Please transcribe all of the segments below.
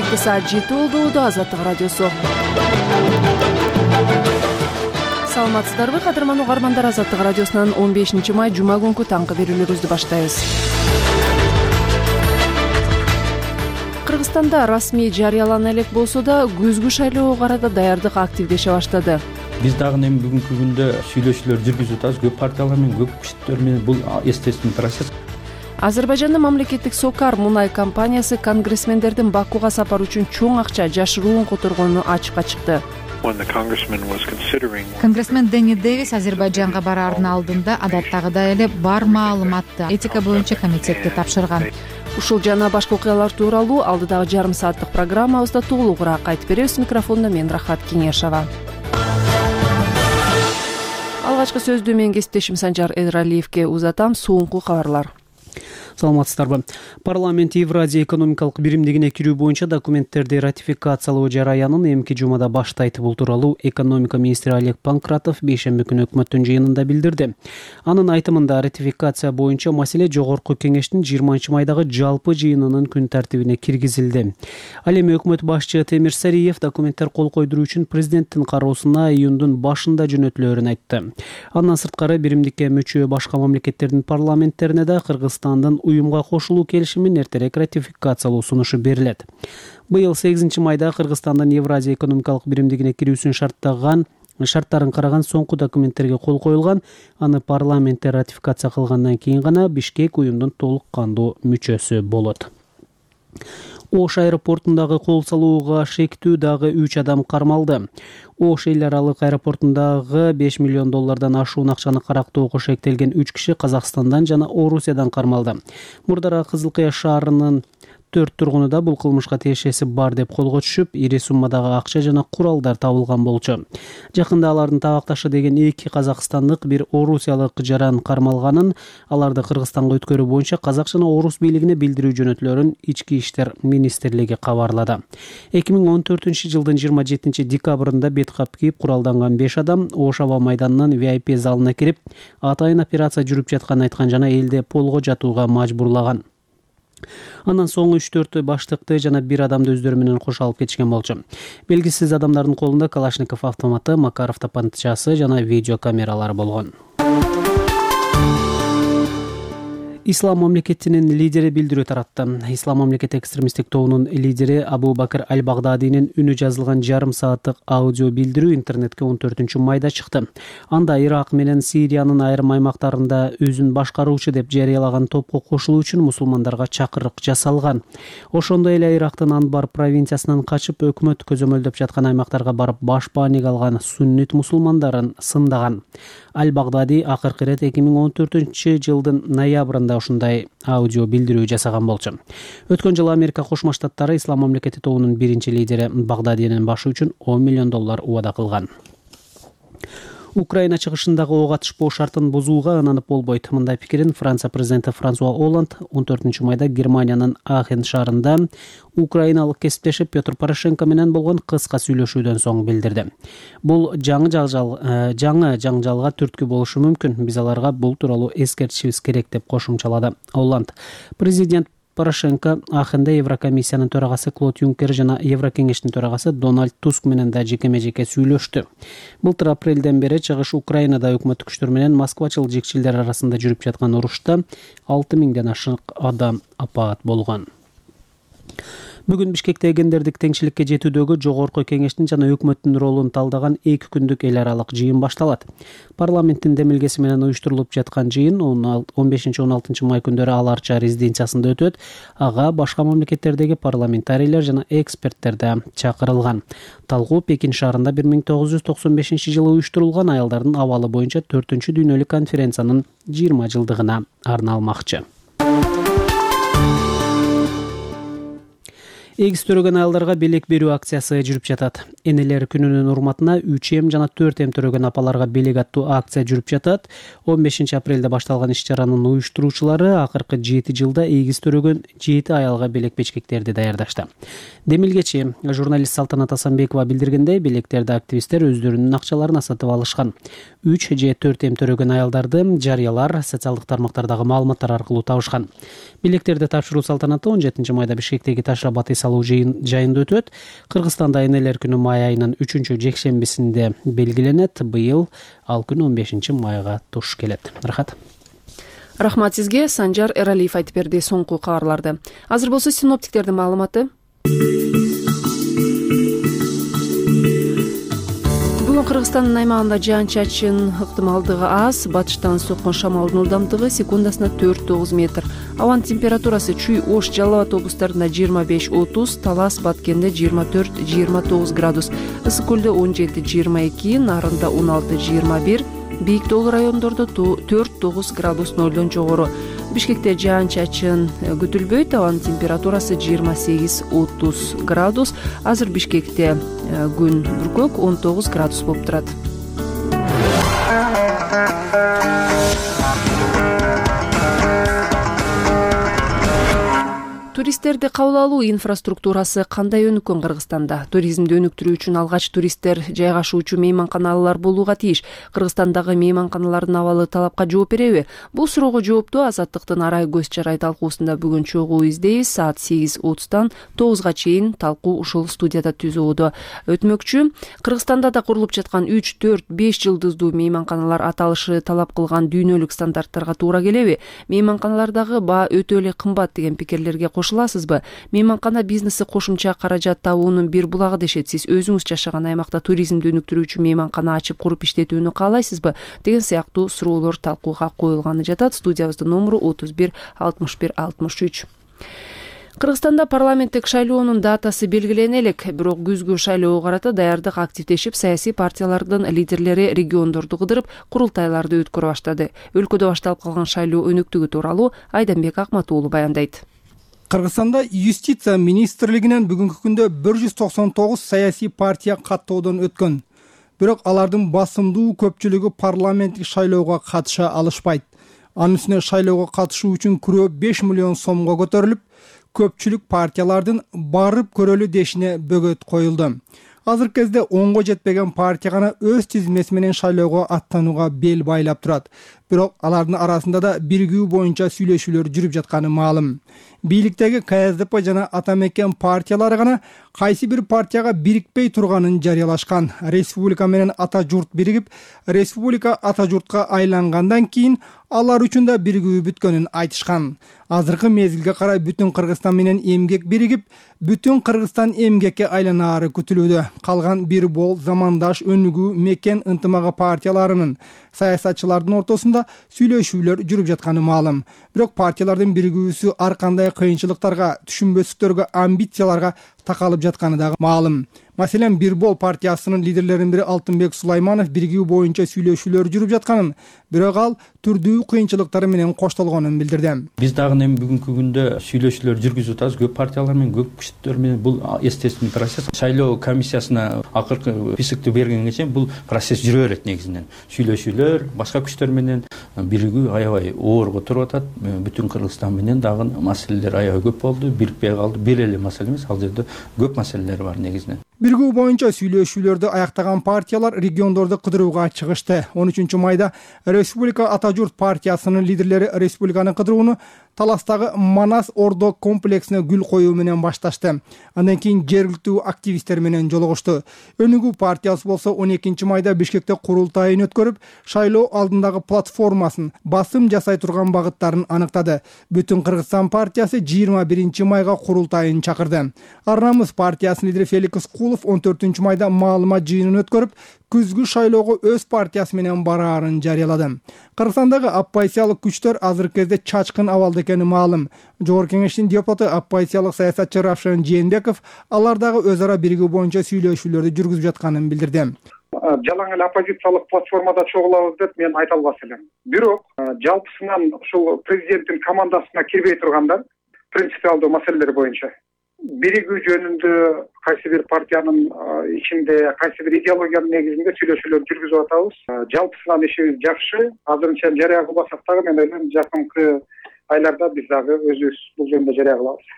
Кешки саат 7 болду. Азаттык радиосу. Саламатсыздарбы, кадырман угармандар? Азаттык радиосунан 15 май жума күнкү таңкы берүүлөрүбүздү баштайбыз. Кыргызстанда расмий жарыялана элек болсо да, күзгү шайлоого карата даярдык активдеше баштады. Биз дагы эми бүгүнкү күндө сүйлөшүүлөр жүргүзүп атабыз. Көп партиялар менен, көп күчтөр менен. Бул естественный процесс. Азербайжандын мамлекеттик Сокар мунай компаниясы конгрессмендердин Бакуга сапар үчүн чоң акча жашыруун которгонун ачыкка чыкты. Конгрессмен Дэнни Дэвис Азербайжанга бараардын алдында адаттагыдай эле бар маалыматты этика боюнча комитетке тапшырган. Ушул жана башка окуялар тууралуу алдыдагы жарым сааттык программабызда толугураак айтып беребиз. Микрофондо мен Рахат Кеңешова. Алгачкы сөздү менин кесиптешим Санжар Эралиевке узатам. Соңку кабарлар. Саламатсыздарбы. Парламент Евразия экономикалык биримдигине кирүү боюнча документтерди ратификациялоо жараянын эмки жумада баштайт. Бул тууралуу экономика министри Олег Панкратов бейшемби күнү өкмөттүн жыйынында билдирди. Анын айтымында ратификация боюнча маселе жогорку кеңештин 20 майдагы жалпы жыйынынын күн тартибине киргизилди. Ал эми өкмөт башчы Темир Сариев документтер кол койдуруу үчүн президенттин кароосуна июндун башында жөнөтүлөөрүн айтты. Андан сырткары биримдикке мүчө башка мамлекеттердин парламенттерине да Кыргызстандын уюмга кошулуу келишимин эртерээк ратификациялоо сунушу берилет. Быйыл 8 майда Кыргызстандын Евразия экономикалык биримдигине кирүүсүн шарттарын караган соңку документтерге кол коюлган. Аны парламентте ратификация кылгандан кийин гана Бишкек уюмдун толук кандуу мүчөсү болот. Ош аэропортундагы кол салууга шектүү дагы 3 адам кармалды. Ош эл аралык аэропортундагы $5 миллион ашуун акчаны карактоого шектелген 3 киши Казакстандан жана Орусиядан кармалды. Мурдара Кызыл Кыя шаарынын 4 тургунуда бул кылмышка тиешеси бар деп колго түшүп, ири суммадагы акча жана куралдар табылган болчу. Жакында алардын табакташы деген 2 казакстандык, 1 орусиялык жаран кармалганын, аларды Кыргызстанга өткөрүү боюнча казак жана орус бийлигине билдирүү жөнөтүлөрүн Ички иштер министрлиги кабарлады. 2014 жылдын 27 декабрында бет кап кийип куралданган 5 адам Ош аба майданынын VIP залына кирип, атайын операция жүрүп жатканын айткан жана элде полго жатууга мажбурлаган. Андан соң 3-4 баштыкты жана 1 адамды өздөрү менен кошо алып кетишкен болчу. Белгисиз адамдардын колунда Калашников автоматы, Макаров тапанчасы жана видео камералары болгон. Ислам мамлекетинин лидери билдирүү таратты. Ислам мамлекет экстремисттик тобунун лидери Абу Бакр Аль-Багдадинин үнү жазылган жарым сааттык аудио билдирүү интернетке 14 майда чыкты. Анда Ирак менен Сириянын айрым аймактарында өзүн башкаруучу деп жарыялаган топко кошулуу үчүн мусулмандарга чакырык жасалган. Ошондой эле Ирактын Анбар провинциясынан качып өкмөт көзөмөлдөп жаткан аймактарга барып баш бааник алган суннит мусулмандарын сындаган. Аль-Багдади акыркы ирет 2014 жылдын ноябрында ушундай аудио билдирүү жасаган болчу. Өткөн жылы Америка Кошмо Штаттары Ислам мамлекети тобунун биринчи лидери Багдадинин башы үчүн $10 миллион убада кылган. Украина чыгышындагы ок атышпоо шартын бузууга ынанып болбойт. Мындай пикирин Франция президенти Франсуа Олланд 14 майда Германиянын Ахен шаарында украиналык кесиптеши Петр Порошенко менен болгон кыска сүйлөшүүдөн соң билдирди. Бул жаңы жаңжалга түрткү болушу мүмкүн. Биз аларга бул тууралуу эскертишибиз керек деп кошумчалады Олланд. Президент Порошенко Ахенде Еврокомиссиянын төрагасы Клод Юнкер жана Еврокеңештин төрагасы Дональд Туск менен да жеке-жеке сүйлөштү. Былтыр апрелден бери чыгыш Украинада өкмөттүк күчтөр менен москвачыл жекчилдер арасында жүрүп жаткан урушта 6000ден ашык адам апаат болгон. Бүгүн Бишкекте гендердик теңчиликке жетүүдөгү жогорку кеңештин жана өкмөттүн ролун талдаган 2 күндүк эл аралык жыйын башталат. Парламенттин демилгеси менен уюштурулуп жаткан жыйын 15-16 май күндөрү Аларча резиденциясында өтөт. Ага башка мамлекеттердеги парламентарийлер жана эксперттер да чакырылган. Талкуу Пекин шаарында 1995 жылы уюштурулган аялдардын абалы боюнча 4-дүйнөлүк конференциянын 20 жылдыгына арналмакчы. Эгиз төрөгөн аялдарга белек берүү акциясы жүрүп жатат. Энелер күнүнүн урматына 3М жана 4М төрөгөн апаларга белек аттуу акция жүрүп жатат. 15 апрелде башталган иш-чаранын уюштуруучулары акыркы 7 жылда эгиз төрөгөн 7 аялга белек печкектерди даярдашты. Демилгечи журналист Салтанат Асанбекова билдиргендей, белектерди активисттер өздөрүнүн акчаларына сатып алышкан. 3 же 4М төрөгөн аялдарды жарыялар, социалдык тармактардагы маалыматтар аркылуу табышкан. Белектерди тапшыруу салтанаты 17 майда Бишкектеги таш абаты салуу жайында өтөт. Кыргызстанда энелер күнү май айынын 3-жекшембисинде белгиленет. Быйыл ал күн 15 майга туш келет. Рахат. Рахмат сизге. Санжар Эралиев айтып берди соңку кабарларды. Азыр болсо синоптиктердин маалыматы. Кыргызстандын аймагында жаан-чачын ыктымалдыгы аз, батыштан соккон шамалдын ылдамдыгы секундасына 4-9 метр. Абанын температурасы Чүй, Ош, Жалал Абад облустарында 25-30, Талас, Баткенде 24-29 градус, Ысык көлдө 17-22, Нарында 16-21, бийик тоолуу райондордо 4-9 градус нолдон жогору. Бишкекте жаан-чачын күтүлбөйт, абанын температурасы 28-30 градус. Азыр Бишкекте күн бүркөк 19 градус болуп турат. Туристтерди кабыл алуу инфраструктурасы кандай өнүккөн Кыргызстанда? Туризмди өнүктүрүү үчүн алгач туристтер жайгашуучу мейманканалар болууга тийиш. Кыргызстандагы мейманканалардын абалы талапка жооп береби? Бул суроого жоопту Азаттыктын Арай көз чарай талкуусунда бүгүн чогуу издейбиз. Саат 8:30 9га чейин талкуу ушул студияда түзүүдө өтмөкчү. Кыргызстанда да курулуп жаткан 3, 4, 5 жылдыздуу мейманканалар аталышы талап кылган дүйнөлүк стандарттарга туура келеби? Мейманканалардагы баа өтө эле кымбат деген пикирлерге кошуласызбы? Мейманкана бизнеси кошумча каражат табуунун бир булагы дешет. Сиз өзүңүз жашаган аймакта туризмди өнүктүрүүчү мейманкана ачып куруп иштетүүнү каалайсызбы? Деген сыяктуу суроолор талкууга коюлганы жатат. Студиябыздын номеру 31 61 63. Кыргызстанда парламенттик шайлоонун датасы белгилене элек, бирок күзгү шайлоого карата даярдык активдешип, саясий партиялардын лидерлери региондорду кыдырып, курултайларды өткөрө баштады. Өлкөдө башталып калган шайлоо өнүктүгү тууралуу Айданбек Акматуулу баяндайт. Кыргызстанда юстиция министрлигинен бүгүнкү күндө 199 саясий партия каттоодон өткөн. Бирок алардын басымдуу көпчүлүгү парламенттик шайлоого катыша алышпайт. Анын үстүнө шайлоого катышуу үчүн күрөө 5 миллион сомго көтөрүлүп, көпчүлүк партиялардын барып көрөлү дешине бөгөт коюлду. Азыркы кезде 10го жетпеген партия гана өз тизмеси менен шайлоого аттанууга бел байлап турат. Бирок алардын арасында да биригүү боюнча сүйлөшүүлөр жүрүп жатканы маалым. Бийликтеги КСДП жана Атамекен партиялары гана кайсы бир партияга бирикпей турганын жарыялашкан. Республика менен ата журт биригип, республика ата журтка айлангандан кийин алар үчүн да биригүү бүткөнүн айтышкан. Азыркы мезгилге карай бүтүн Кыргызстан менен эмгек биригип, бүтүн Кыргызстан эмгекке айланаары күтүлүүдө. Калган бир бол замандаш өнүгүү мекен ынтымагы партияларынын саясатчылардын ортосунда сүйлөшүүлөр жүрүп жатканы маалым. Бирок партиялардын биригүүсү ар кандай кыйынчылыктарга, түшүнбөстүктөргө, амбицияларга такалып жатканы дагы маалым. Маселен, Бир бол партиясынын лидерлеринин бири Алтынбек Сулайманов биригүү боюнча сүйлөшүүлөр жүрүп жатканын, бирок ал түрдүү кыйынчылыктары менен коштолгонун билдирди. Биз дагы эми бүгүнкү күндө сүйлөшүүлөр жүргүзүп атабыз. Көп партиялар менен, көп күчтөр менен бул естественный процесс. Шайлоо комиссиясына акыркы списокты бергенге чейин бул процесс жүрө берет негизинен. Сүйлөшүүлөр башка күчтөр менен биригүү аябай оорго туруп атат. Бүтүн Кыргызстан менен дагы маселелер аябай көп болду, бирикпей калды. Бир эле маселе эмес, ал жерде көп маселелер бар негизинен. Биригүү боюнча сүйлөшүүлөрдү аяктаган партиялар региондорду кыдырууга чыгышты. 13 майда Республика Ата журт партиясынын лидерлери республиканы кыдырууну Таластагы Манас Ордо комплексине гүл коюу менен башташты. Андан кийин жергиликтүү активисттер менен жолугушту. Өнүгүү партиясы болсо 12 майда Бишкекте курултайын өткөрүп, шайлоо алдындагы платформасын, басым жасай турган багыттарын аныктады. Бүтүн Кыргызстан партиясы 21 майга курултайын чакырды. Арнамыз партиясынын лидери Феликс Кулов 14 майда маалымат жыйынын өткөрүп, күзгү шайлоого өз партиясы менен бараарын жарыялады. Кыргызстандагы оппозициялык күчтөр азыркы кезде чачкын абалда экени маалым. Жогорку кеңештин депутаты оппозициялык саясатчы Равшан Жээнбеков алардагы өз ара биригүү боюнча сүйлөшүүлөрдү жүргүзүп жатканын билдирди. Жалаң эле оппозициялык платформада чогулабыз деп мен айта албас элем. Бирок жалпысынан ушул президенттин командасына кирбей тургандар принципиалдуу маселелер боюнча биригүү жөнүндө кайсы бир партиянын ичинде, кайсы бир идеологиянын негизинде сүйлөшүүлөр жүргүзүп атабыз. Жалпысынан ишибиз жакшы. Азырынча жарыя кылбасак дагы мен ойлойм жакынкы айларда биз дагы өзүбүз бул жөнүндө жарыя кылабыз.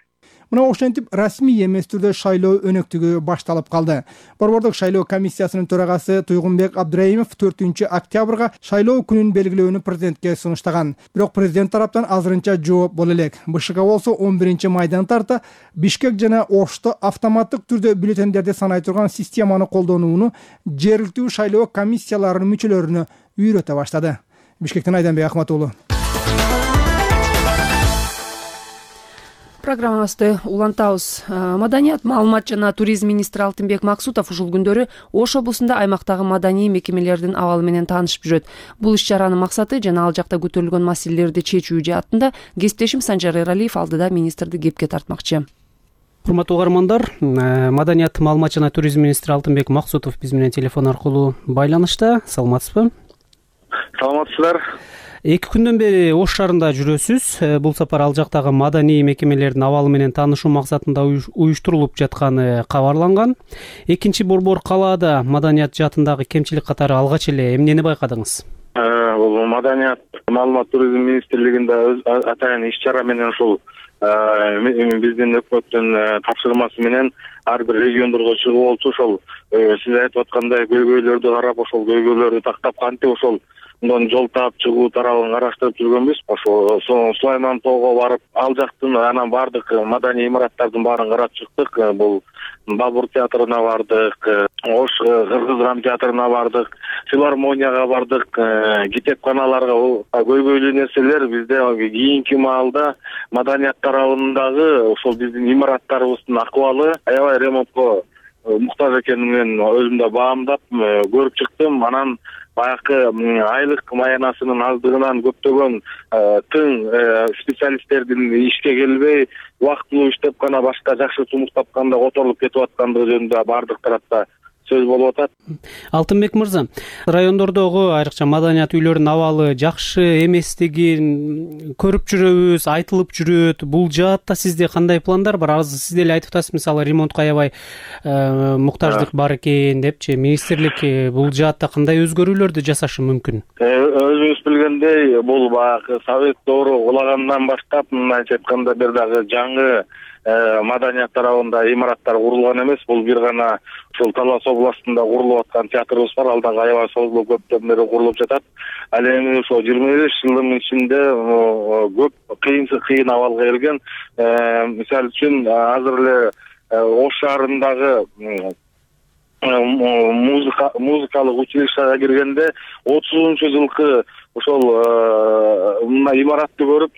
мына ошентип расмий эмес түрдө шайлоо өнөктүгү башталып калды. Борбордук шайлоо комиссиясынын төрагасы Туйгунбек Абдыраимов 4 октябрга шайлоо күнүн белгилөөнү президентке сунуштаган. Бирок президент тараптан азырынча жооп боло элек. БШК болсо 11 майдан тарта Бишкек жана Ошто автоматтык түрдө бюллетендерди санай турган системаны колдонууну жергиликтүү шайлоо комиссияларынын мүчөлөрүнө үйрөтө баштады. Бишкектен Айданбек Ахматуулу. Программабызды улантабыз. Маданият, маалымат жана туризм министри Алтынбек Максутов ушул күндөрү Ош облусунда аймактагы маданий мекемелердин абалы менен таанышып жүрөт. Бул иш-чаранын максаты жана ал жакта көтөрүлгөн маселелерди чечүү жаатында кесиптешим Санжар Эралиев алдыда министрди кепке тартмакчы. Урматтуу угармандар, маданият, маалымат жана туризм министри Алтынбек Максутов биз менен телефон аркылуу байланышта. Саламатсызбы? Саламатсыздар. 2 күндөн бери Ош шаарында жүрөсүз. Бул сапар ал жактагы маданий мекемелердин абалы менен таанышуу максатында уюштурулуп жатканы кабарланган. Экинчи борбор калаада маданият жаатындагы кемчилик катары алгач эле эмнени байкадыңыз? Бул маданият, маалымат туризм министрлигинде атайын иш-чара менен ушул биздин өкмөттүн тапшырмасы менен ар бир региондорго чыгып болчу. Ошол сиз айтып аткандай көйгөйлөрдү карап, ошол көйгөйлөрдү тактап кантип ошол жол таап чыгуу тарабын караштырып жүргөнбүз. Ошо Сулайман тоого барып, ал жактын анан бардык маданий имараттардын баарын карап чыктык. Бул Бабур театрына бардык, Ош кыргыз драма театрына бардык, филармонияга бардык, китепканаларга. Көйгөйлүү нерселер бизде кийинки маалда маданият тарабындагы ошол биздин имараттарыбыздын акыбалы аябай ремонтко муктаж экенин өзүм да баамдап көрүп чыктым. Анан баягы айлык маянасынын аздыгынан көптөгөн тың специалисттердин ишке келбей, убактылуу иштеп гана башка жакшы сунуш тапканда которулуп кетип аткандыгы жөнүндө бардык тарапта сөз болуп атат. Алтынбек мырза, райондордогу айрыкча маданият үйлөрүнүн абалы жакшы эместигин көрүп жүрөбүз, айтылып жүрөт. Бул жаатта сизде кандай пландар бар? Азыр сиз деле айтып атасыз, мисалы ремонтко аябай муктаждык бар экен депчи. Министрлик бул жаатта кандай өзгөрүүлөрдү жасашы мүмкүн? Өзүңүз билгендей, бул баягы Совет доору кулагандан баштап, мындайча айтканда бир дагы жаңы маданият тарабында имараттар курулган эмес. Бул бир гана ушул Талас областында курулуп аткан театрыбыз бар. Ал дагы аябай созулуп көптөн бери курулуп жатат. Ал эми ошо 25 жылдын ичинде көп кыйын абалга келген. Мисалы үчүн азыр эле Ош шаарындагы музыкалык училищага киргенде 30-жылкы ошол имаратты көрүп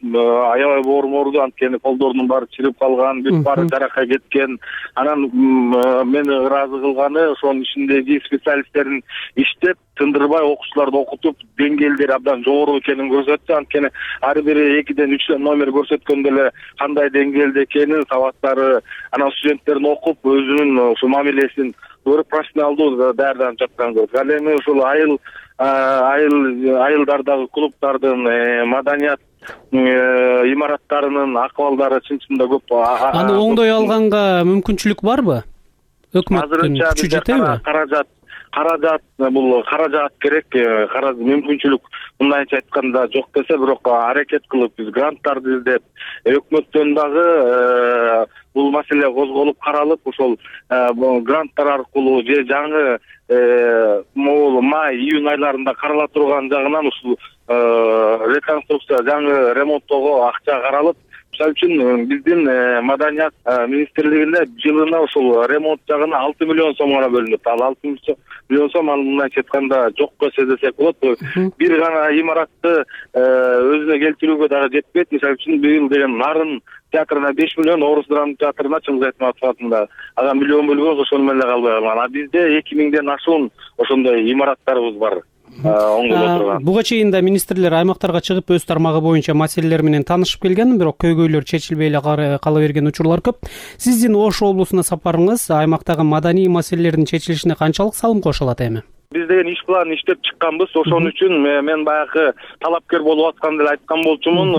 аябай боорморду, анткени колдорунун баары чирип калган, бүт баары жаракка кеткен. Анан мени ыраазы кылганы ошонун ичиндеги специалисттердин иштеп тындырбай окуучуларды окутуп, деңгээлдери абдан жогору экенин көрсөттү. Анткени ар бири 2ден 3 номер көрсөткөндө эле кандай деңгээлде экенин, сабаттары, анан студенттерин окуп, өзүнүн ошо мамилесин көрүп профессионалдуу даярданып жатканын көрдүк. Ал эми ушул айылдардагы клубдардын маданият имараттарынын акыбалдары чын-чынында көп. Аны оңдой алганга мүмкүнчүлүк барбы? Өкмөттүн күчү жетеби? Бул каражат керек, мүмкүнчүлүк мындайча айтканда жок десе, бирок аракет кылып биз гранттарды издеп, өкмөттөн дагы бул маселе козголуп каралып, ошол гранттар аркылуу же жаңы май, июнь айларында карала турган жагынан ушул реконструкция, жаңы ремонттоого акча каралып, мисалы үчүн биздин маданият министрлигинде жылына ушул ремонт жагына 6 миллион сом гана бөлүнөт. Ал 6 миллион сом мындайча айтканда жокко сездесек болот. Бир гана имаратты өзүнө келтирүүгө дагы жетпейт. Мисалы үчүн быйыл деген Нарын театрына 5 миллион, Орус драма театрына Чыңгыз Айтматов атында ага миллион бөлгөн, ошол менен эле калбай калган. Бизде 2000ден ашуун ошондой имараттарыбыз бар. Буга чейин да министрлер аймактарга чыгып өз тармагы боюнча маселелер менен таанышып келген, бирок көйгөйлөр чечилбей эле кала берген учурлар көп. Сиздин Ош облусуна сапарыңыз аймактагы маданий маселелердин чечилишине канчалык салым кошо алат эми? Биз деген иш планын иштеп чыкканбыз. Ошон үчүн мен баягы талапкер болуп атканда эле айткан болчумун.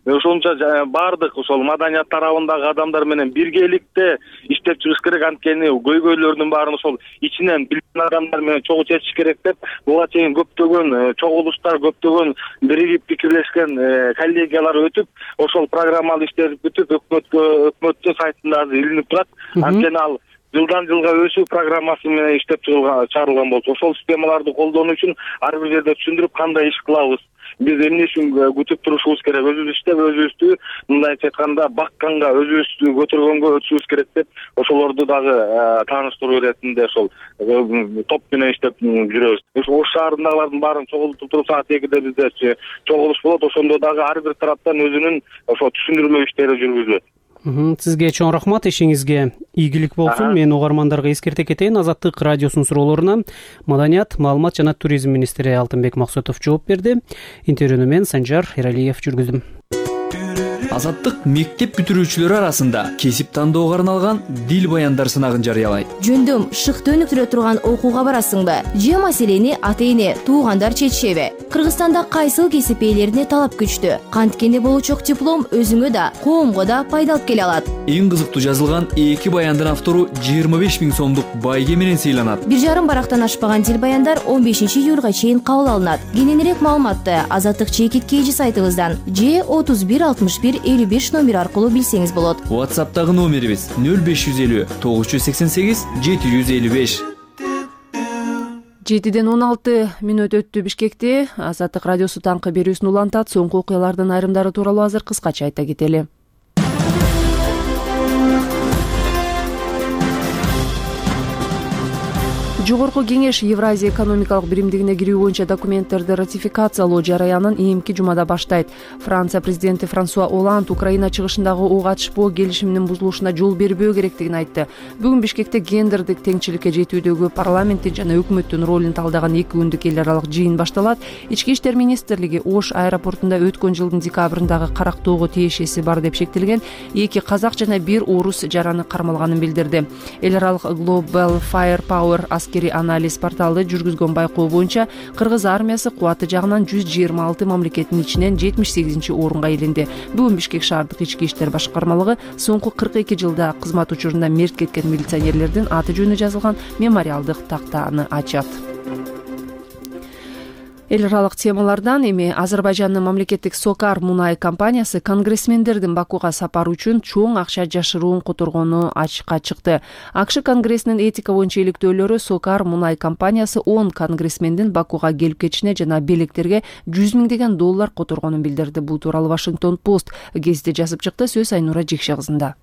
Ошончо баардык ошол маданият тарабындагы адамдар менен биргеликте иштеп чыгыш керек. Анткени көйгөйлөрдүн баарын ошол ичинен билген адамдар менен чогуу чечиш керек деп буга чейин көптөгөн чогулуштар, көптөгөн биригип пикирлешкен коллегиялар өтүп, ошол программалуу иштер бүтүп өкмөттүн сайтында азыр илинип турат. Анткени ал жылдан жылга өсүү программасы менен иштеп чыгарылган болчу. Ошол системаларды колдонуу үчүн ар бир жерде түшүндүрүп, кандай иш кылабыз, биз эмне үчүн күтүп турушубуз керек, өзүбүз иштеп өзүбүздү мындайча айтканда бакканга, өзүбүздү көтөргөнгө өтүшүбүз керек деп ошолорду дагы тааныштыруу иретинде ошол топ менен иштеп жүрөбүз. Ош шаарындагылардын баарын чогултуп туруп саат 2-де бизде чогулуш болот. Ошондо дагы ар бир тараптан өзүнүн ошо түшүндүрмө иштери жүргүзүлөт. Сизге чоң рахмат, ишиңизге ийгилик болсун. Мен угармандарга эскерте кетейин. Азаттык радиосунун суроолоруна Маданият, маалымат жана туризм министри Алтынбек Максутов жооп берди. Интервьюну мен Санжар Эралиев жүргүздүм. Азаттык мектеп бүтүрүүчүлөрү арасында кесип тандоого арналган дил баяндар сынагын жарыялайт. Жөндөм шыкты өнүктүрө турган окууга барасыңбы? Же маселени ата-эне, туугандар чечишеби? Кыргызстанда кайсыл кесип ээлерине талап күчтүү? Канткени болочок диплом өзүңө да, коомго да пайда алып келе алат. Эң кызыктуу жазылган 2 баяндын автору 25 000 сомдук байге менен сыйланат. 1,5 барактан ашпаган дил баяндар 15 июлга чейин кабыл алынат. Кененирээк маалыматты Азаттык чекиткейжи сайтыбыздан же 31 61 55 номер аркылуу билсеңиз болот. WhatsApp'тагы номерибиз 0550 988 755. 7-ден 16 мүнөт өттү. Бишкекте Азаттык радиосу таңкы берүүсүн улантат. Соңку окуялардын айрымдары тууралуу азыр кыскача айта кетели. Жогорку кеңеш Евразия экономикалык биримдигине кирүү боюнча документтерди ратификациялоо жараянын ийимки жумада баштайт. Франция президенти Франсуа Оланд Украина чыгышындагы ок атышпоо келишиминин бузулушуна жол бербөө керектигин айтты. Бүгүн Бишкекте гендердик теңчиликке жетүүдөгү парламенттин жана өкмөттүн ролун талдаган 2 күндүк эл аралык жыйын башталат. Ички иштер министрлиги Ош аэропортунда өткөн жылдын декабрындагы карактоого тиешеси бар деп шектелген 2 казак жана 1 орус жараны кармалганын билдирди. Эл аралык Global Firepower аскери анализ порталы жүргүзгөн байкоо боюнча кыргыз армиясы кубаты жагынан 126 мамлекеттин ичинен 78-орунга илинди. Бүгүн Бишкек шаардык ички иштер башкармалыгы соңку 42 жылда кызмат учурунда мерт кеткен милиционерлердин аты жөнү жазылган мемориалдык тактаны ачат. Эл аралык темалардан эми Азербайжандын мамлекеттик Сокар мунай компаниясы конгрессмендердин Бакуга сапары үчүн чоң акча жашыруун которгону ачыкка чыкты. АКШ Конгрессинин этика боюнча иликтөөлөрү Сокар мунай компаниясы 10 конгрессмендин Бакуга келип кетишине жана белектерге $100 000 которгонун билдирди. Бул тууралуу Вашингтон Пост гезити жазып чыкты. Сөз Айнура Жекше кызында.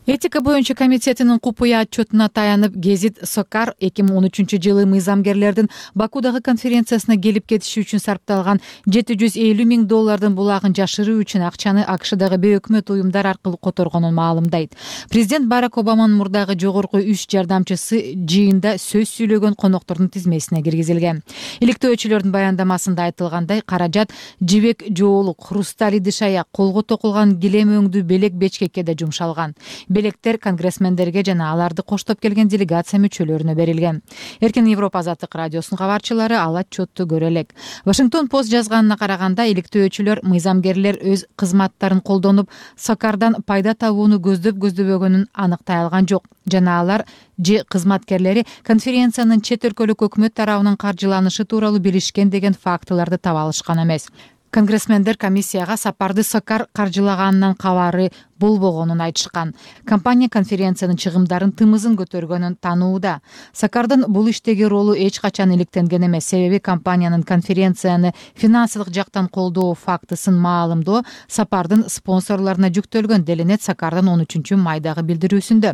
Этика боюнча комитетинин купуя отчетуна таянып, гезит Сокар 2013-жылы мыйзамгерлердин Бакудагы конференциясына келип кетиши үчүн сарпталган $750 000 булагын жашыруу үчүн акчаны АКШдагы бейөкмөт уюмдар аркылуу которгонун маалымдайт. Президент Барак Обаманын мурдагы жогорку 3 жардамчысы жыйында сөз сүйлөгөн коноктордун тизмесине киргизилген. Иликтөөчүлөрдүн баяндамасында айтылгандай, каражат жибек жоолук, хрусталь идиш-аяк, колго токулган килем өңдүү белек бечкекке да жумшалган. Белектер конгрессмендерге жана аларды коштоп келген делегация мүчөлөрүнө берилген. Эркин Европа Азаттык радиосунун кабарчылары ал отчетту көрө элек. Вашингтон Пост жазганына караганда, иликтөөчүлөр мыйзамгерлер өз кызматтарын колдонуп, Сокардан пайда табууну көздөбөгөнүн аныктай алган жок. Жана алар же кызматкерлери конференциянын чет өлкөлүк өкмөт тарабынан каржыланышы тууралуу билишкен деген фактыларды таба алышкан эмес. Конгрессмендер комиссияга сапарды Сокар каржылаганынан кабары болбогонун айтышкан. Компания конференциянын чыгымдарын тымызын көтөргөнүн танууда. Сокардын бул иштеги ролу эч качан иликтенген эмес. Себеби компаниянын конференцияны финансылык жактан колдоо фактысын маалымдоо сапардын спонсорлоруна жүктөлгөн, делинет Сокардын 13-майдагы билдирүүсүндө.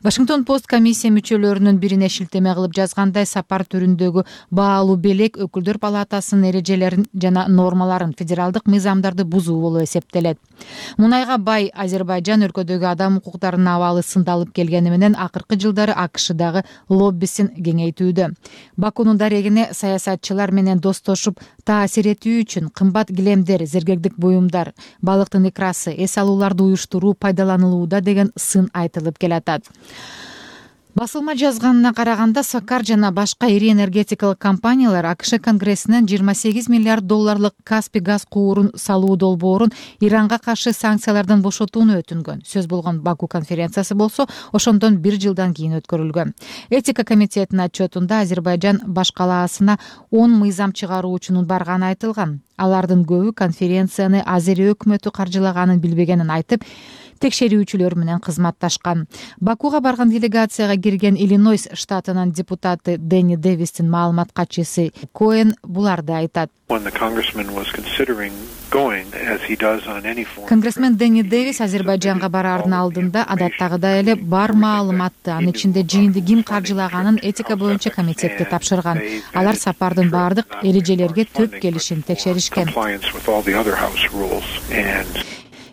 Вашингтон Пост комиссия мүчөлөрүнүн бирине шилтеме кылып жазгандай, сапар түрүндөгү баалуу белек өкүлдөр палатасынын эрежелерин жана нормаларын, федералдык мыйзамдарды бузуу болуп эсептелет. Мунайга бай Азербайжан өлкөдөгү адам укуктарынын абалы сындалып келгени менен акыркы жылдары АКШдагы лоббисин кеңейтүүдө. Бакунун дарегине саясатчылар менен достошуп таасир этүү үчүн кымбат килемдер, зергегдик буюмдар, балыктын икрасы, эс алууларды уюштуруу пайдаланылууда деген сын айтылып келатат. Басылма жазганына караганда Сокар жана башка ири энергетикалык компаниялар АКШ Конгрессинен 28 миллиард долларлык Каспий газ куурун салуу долбоорун Иранга каршы санкциялардан бошотууну өтүнгөн. Сөз болгон Баку конференциясы болсо ошондон 1 жылдан кийин өткөрүлгөн. Этика комитетинин отчетунда Азербайжан башкалаасына 10 мыйзам чыгаруучунун барганы айтылган. Алардын көбү конференцияны Азерия өкмөтү каржылаганын билбегенин айтып, текшерүүчүлөр менен кызматташкан. Бакуга барган делегацияга кирген Иллинойс штатынын депутаты Дэнни Дэвистин маалымат катчысы Коэн буларды айтат. Конгрессмен Дэнни Дэвис Азербайжанга бараардын алдында адаттагыдай эле бар маалыматты, анын ичинде жыйынды ким каржылаганын этика боюнча комитетке тапшырган. Алар сапардын баардык эрежелерге төп келишин текшеришкен.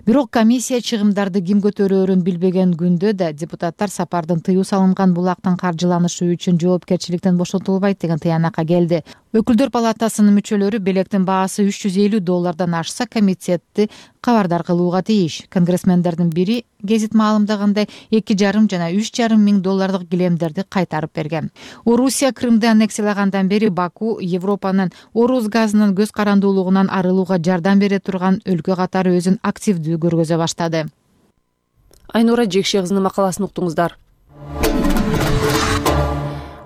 Бирок комиссия чыгымдарды ким көтөрөөрүн билбеген күндө да депутаттар сапардын тыюу салынган булактын каржыланышы үчүн жоопкерчиликтен бошотулбайт деген тыянакка келди. Өкүлдөр палатасынын мүчөлөрү белектин баасы $350 ашса комитетти кабардар кылууга тийиш. Конгрессмендердин бири гезит маалымдагандай $2,5 жана $3,5 миң килемдерди кайтарып берген. Орусия Крымды аннексиялагандан бери Баку Европанын Орус газынын көз карандуулугунан арылууга жардам бере турган өлкө катары өзүн активдүү көргөзө баштады. Айнура Жекше кызынын макаласын уктуңуздар.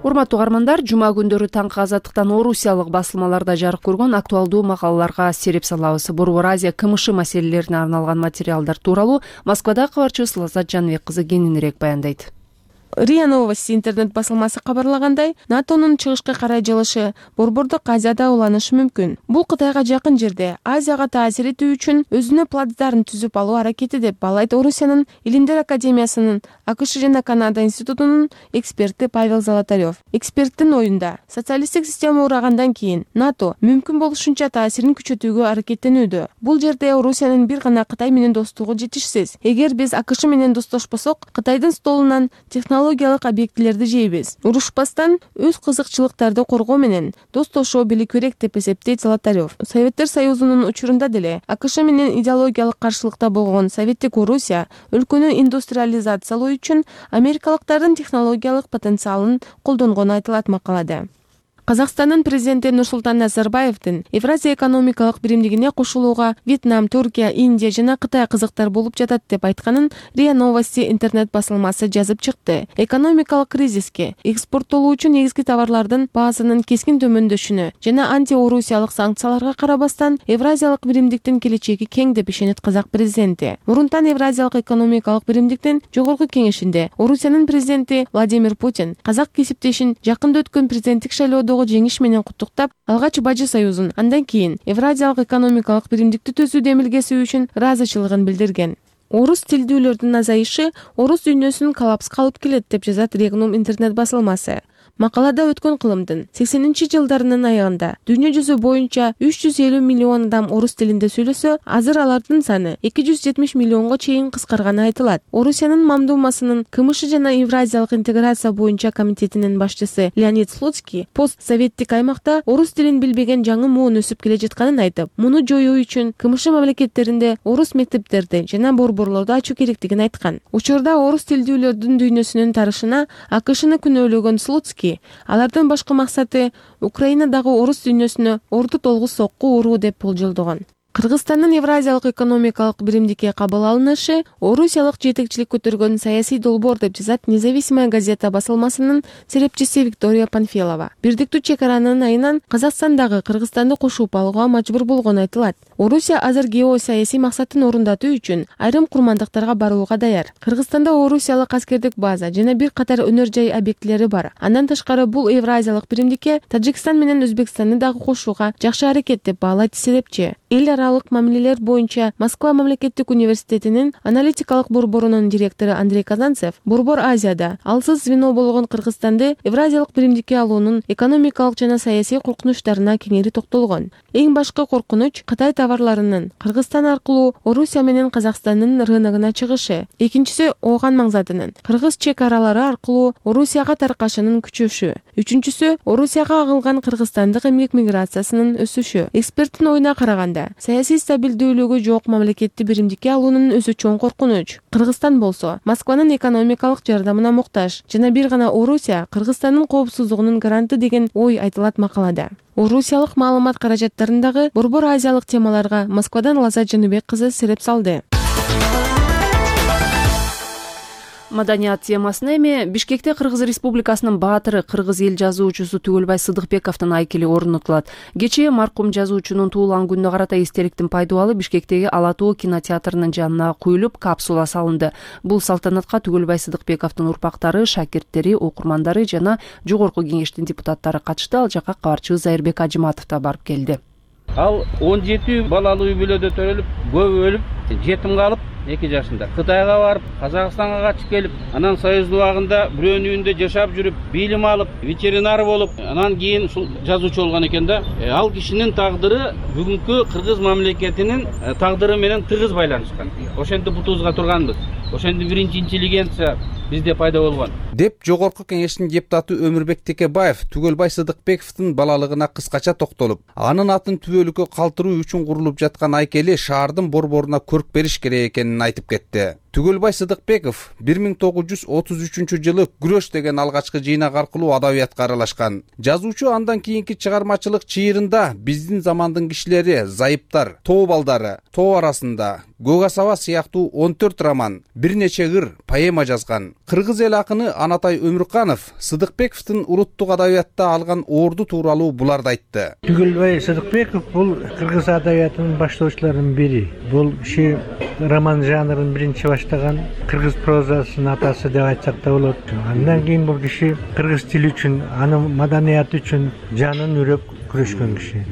Урматтуу угармандар, жума күндөрү таңкы азаттыктан орусиялык басылмаларда жарык көргөн актуалдуу макалаларга сереп салабыз. Борбор Азия КМШ маселелерине арналган материалдар тууралуу Москвада кабарчыбыз Лаззат Жаныбек кызы кененирээк баяндайт. РИА Новости интернет басылмасы кабарлагандай, НАТОнун чыгышка карай жылышы Борбордук Азияда уланышы мүмкүн. Бул Кытайга жакын жерде Азияга таасир этүү үчүн өзүнө плацдарын түзүп алуу аракети деп баалайт Орусиянын Илимдер академиясынын АКШ жана Канада институтунун эксперти Павел Золотарев. Эксперттин оюнда, социалисттик система урагандан кийин НАТО мүмкүн болушунча таасирин күчөтүүгө аракеттенүүдө. Бул жерде Орусиянын бир гана Кытай менен достугу жетишсиз. Эгер биз АКШ менен достошпосок, Кытайдын столунан технологиялык объектилерди жейбиз. Урушпастан өз кызыкчылыктарды коргоо менен достошо билүү керек деп эсептейт Золотарев. Советтер Союзунун учурунда деле АКШ менен идеологиялык каршылыкта болгон Советтик Орусия өлкөнү индустриализациялоо үчүн америкалыктардын технологиялык потенциалын колдонгону айтылат макалада. Казакстандын президенти Нурсултан Назарбаевдин Евразия экономикалык биримдигине кошулууга Вьетнам, Туркия, Индия жана Кытай кызыктар болуп жатат деп айтканын РИА Новости интернет басылмасы жазып чыкты. Экономикалык кризиске, экспорттолуучу негизги товарлардын баасынын кескин төмөндөшүнө жана антиорусиялык санкцияларга карабастан Евразиялык биримдиктин келечеги кең деп ишенет казак президенти. Мурунтан Евразиялык экономикалык биримдиктин жогорку кеңешинде Орусиянын президенти Владимир Путин казак кесиптешин жакында өткөн президенттик шайлоодо жеңиш менен куттуктап, алгач Бажы союзун, андан кийин Евразиялык экономикалык биримдикти түзүү демилгеси үчүн ыраазычылыгын билдирген. Орус тилдүүлөрдүн азайышы орус дүйнөсүн коллапска алып келет деп жазат Регнум интернет басылмасы. Макалада өткөн кылымдын 80-жылдарынын аягында дүйнө жүзү боюнча 350 миллион адам орус тилинде сүйлөсө, азыр алардын саны 270 миллионго чейин кыскарганы айтылат. Орусиянын Мамдумасынын КМШ жана Евразиялык интеграция боюнча комитетинин башчысы Леонид Слуцкий постсоветтик аймакта орус тилин билбеген жаңы муун өсүп келе жатканын айтып, муну жоюу үчүн КМШ мамлекеттеринде орус мектептерди жана борборлорду ачуу керектигин айткан. Учурда орус тилдүүлөрдүн дүйнөсүнүн тарышына АКШны күнөөлөгөн Слуцкий алардын башкы максаты Украинадагы орус дүйнөсүнө орду толгус сокку уруу деп болжолдогон. Кыргызстандын Евразиялык экономикалык биримдикке кабыл алынышы орусиялык жетекчилик көтөргөн саясий долбоор деп жазат Независимая газета басылмасынын серепчиси Виктория Панфилова. Бирдиктүү чек аранын айынан Казакстандагы Кыргызстанды кошуп алууга мажбур болгону айтылат. Орусия азыр геосаясий максатын орундатуу үчүн айрым курмандыктарга барууга даяр. Кыргызстанда орусиялык аскердик база жана бир катар өнөр жай объектилери бар. Андан тышкары бул Евразиялык биримдикке Тажикстан менен Өзбекстанды дагы кошууга жакшы аракет деп баалайт серепчи. Эл аралык мамилелер боюнча Москва мамлекеттик университетинин аналитикалык борборунун директору Андрей Казанцев Борбор Азияда алсыз звено болгон Кыргызстанды Евразиялык биримдикке алуунун экономикалык жана саясий коркунучтарына кеңири токтолгон. Эң башкы коркунуч Кытай товарларынын Кыргызстан аркылуу Орусия менен Казакстандын рыногуна чыгышы. Экинчиси Ооган маңзатынын Кыргыз чек аралары аркылуу Орусияга таркашынын күчөшү. Үчүнчүсү Орусияга агылган кыргызстандык эмгек миграциясынын өсүшү. Эксперттин оюна караганда аймагында саясий стабилдүүлүгү жок мамлекетти биримдикке алуунун өзү чоң коркунуч. Кыргызстан болсо Москванын экономикалык жардамына муктаж жана бир гана Орусия Кыргызстандын коопсуздугунун гаранты деген ой айтылат макалада. Орусиялык маалымат каражаттарындагы борбор азиялык темаларга Москвадан Лаза Жаныбек кызы сереп салды. Маданият темасына эми Бишкекте Кыргыз Республикасынын баатыры, кыргыз эл жазуучусу Түгөлбай Сыдыкбековдун айкели орнотулат. Кечээ маркум жазуучунун туулган күнүнө карата эстеликтин пайдубалы Бишкектеги Ала Тоо кинотеатрынын жанына куюлуп, капсула салынды. Бул салтанатка Түгөлбай Сыдыкбековдун урпактары, шакирттери, окурмандары жана жогорку кеңештин депутаттары катышты. Ал жака кабарчыбыз Зайырбек Ажыматов да барып келди. Ал 17 балалуу үй бүлөдө төрөлүп, көбү өлүп, жетим калып, 2 жашында Кытайга барып, Казакстанга качып келип, анан Союз убагында бирөөнүн үйүндө жашап жүрүп, билим алып, ветеринар болуп, анан кийин ушул жазуучу болгон экен да. Ал кишинин тагдыры бүгүнкү кыргыз мамлекетинин тагдыры менен тыгыз байланышкан. Ошентип бутубузга турганбыз. Ошентип биринчи интеллигенция бизде пайда болгон. Деп жогорку кеңештин депутаты Өмүрбек Текебаев Түгөлбай Сыдыкбековдун балалыгына кыскача токтолуп, анын атын түбөлүккө калтыруу үчүн курулуп жаткан айкели шаардын борборуна көрк бериш керек экенин айтып кетти. Түгөлбай Сыдыкбеков 1933-жылы Күрөш деген алгачкы жыйнак аркылуу адабиятка аралашкан. Жазуучу андан кийинки чыгармачылык чыйырында биздин замандын кишилери, зайыптар, тоо балдары, тоо арасында, Көк асаба сыяктуу 14 роман, бир нече ыр, поэма жазган. Кыргыз эл акыны Анатай Өмүрканов Сыдыкбековдун улуттук адабиятта алган орду тууралуу буларды айтты. Түгөлбай Сыдыкбеков бул кыргыз адабиятынын баштоочуларынын бири. Бул киши роман жанрын биринчи баштаган, кыргыз прозасынын атасы деп айтсак да болот. Андан кийин бул киши кыргыз тили үчүн, анын маданияты үчүн жанын үрөп күрөшкөн киши.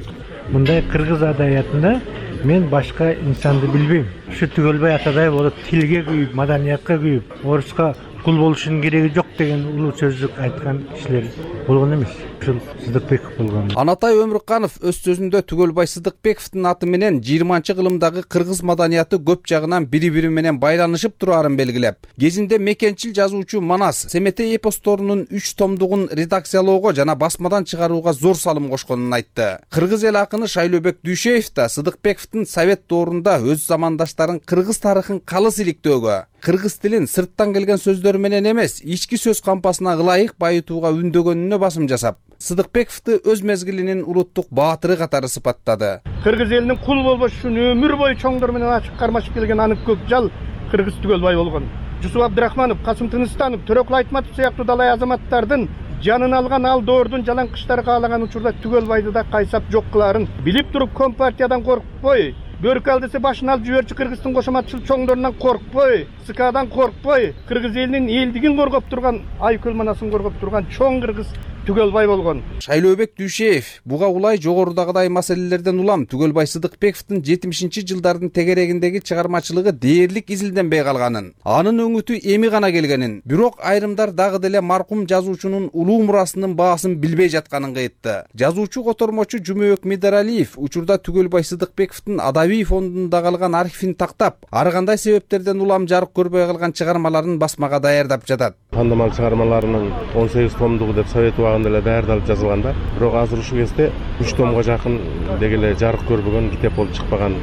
Мындай кыргыз адабиятында мен башка инсанды билбейм. Ушу Түгөлбай атадай болуп тилге күйүп, маданиятка күйүп, оруска кул болушунун кереги жок деген улуу сөздүк айткан кишилер болгон эмес. Ушул Сыдыкбеков болгон. Анатай Өмүрканов өз сөзүндө Түгөлбай Сыдыкбековдун аты менен 20-кылымдагы кыргыз маданияты көп жагынан бири-бири менен байланышып тураарын белгилеп, кезинде мекенчил жазуучу Манас Семетей эпосторунун 3 томдугун редакциялоого жана басмадан чыгарууга зор салым кошконун айтты. Кыргыз эл акыны Шайлообек Дүйшеев да Сыдыкбековдун совет доорунда өз замандаштарын кыргыз тарыхын калыс иликтөөгө, кыргыз тилин сырттан келген сөздөр менен эмес, ички сөз кампасына ылайык байытууга үндөгөнүнө басым жасап, Сыдыкбековду өз мезгилинин улуттук баатыры катары сыпаттады. Кыргыз элинин кул болбош үчүн өмүр бою чоңдор менен ачык кармашып келген анын көк жал кыргыз Түгөлбай болгон. Жусуп Абдрахманов, Касым Тыныстанов, Төрөкул Айтматов сыяктуу далай азаматтардын жанын алган ал доордун жалаңкычтары каалаган учурда Түгөлбайды да кайсап жок кылаарын билип туруп Компартиядан коркпой, бөркү ал десе башын алып жиберчү кыргыздын кошоматчыл чоңдорунан коркпой, СКдан коркпой, кыргыз элинин элдигин коргоп турган, айкөл манасын коргоп турган чоң кыргыз Түгөлбай болгон. Шайлообек Дүйшеев буга улай жогорудагыдай маселелерден улам Түгөлбай Сыдыкбековдун 70-жылдардын тегерегиндеги чыгармачылыгы дээрлик изилденбей калганын, анын өңүтү эми гана келгенин, бирок айрымдар дагы деле маркум жазуучунун улуу мурасынын баасын билбей жатканын кыйтты. Жазуучу котормочу Жумөк Медаралиев учурда Түгөлбай Сыдыкбековдун адабий фондунда калган архивин тактап, ар кандай себептерден улам жарык көрбөй калган чыгармаларын басмага даярдап жатат. Тандамал чыгармаларынын 18 томдугу деп Совет убагында эле даярдалып жазылган да. Бирок азыр ушул кезде 3 томго жакын деги эле жарык көрбөгөн, китеп болуп чыкпаган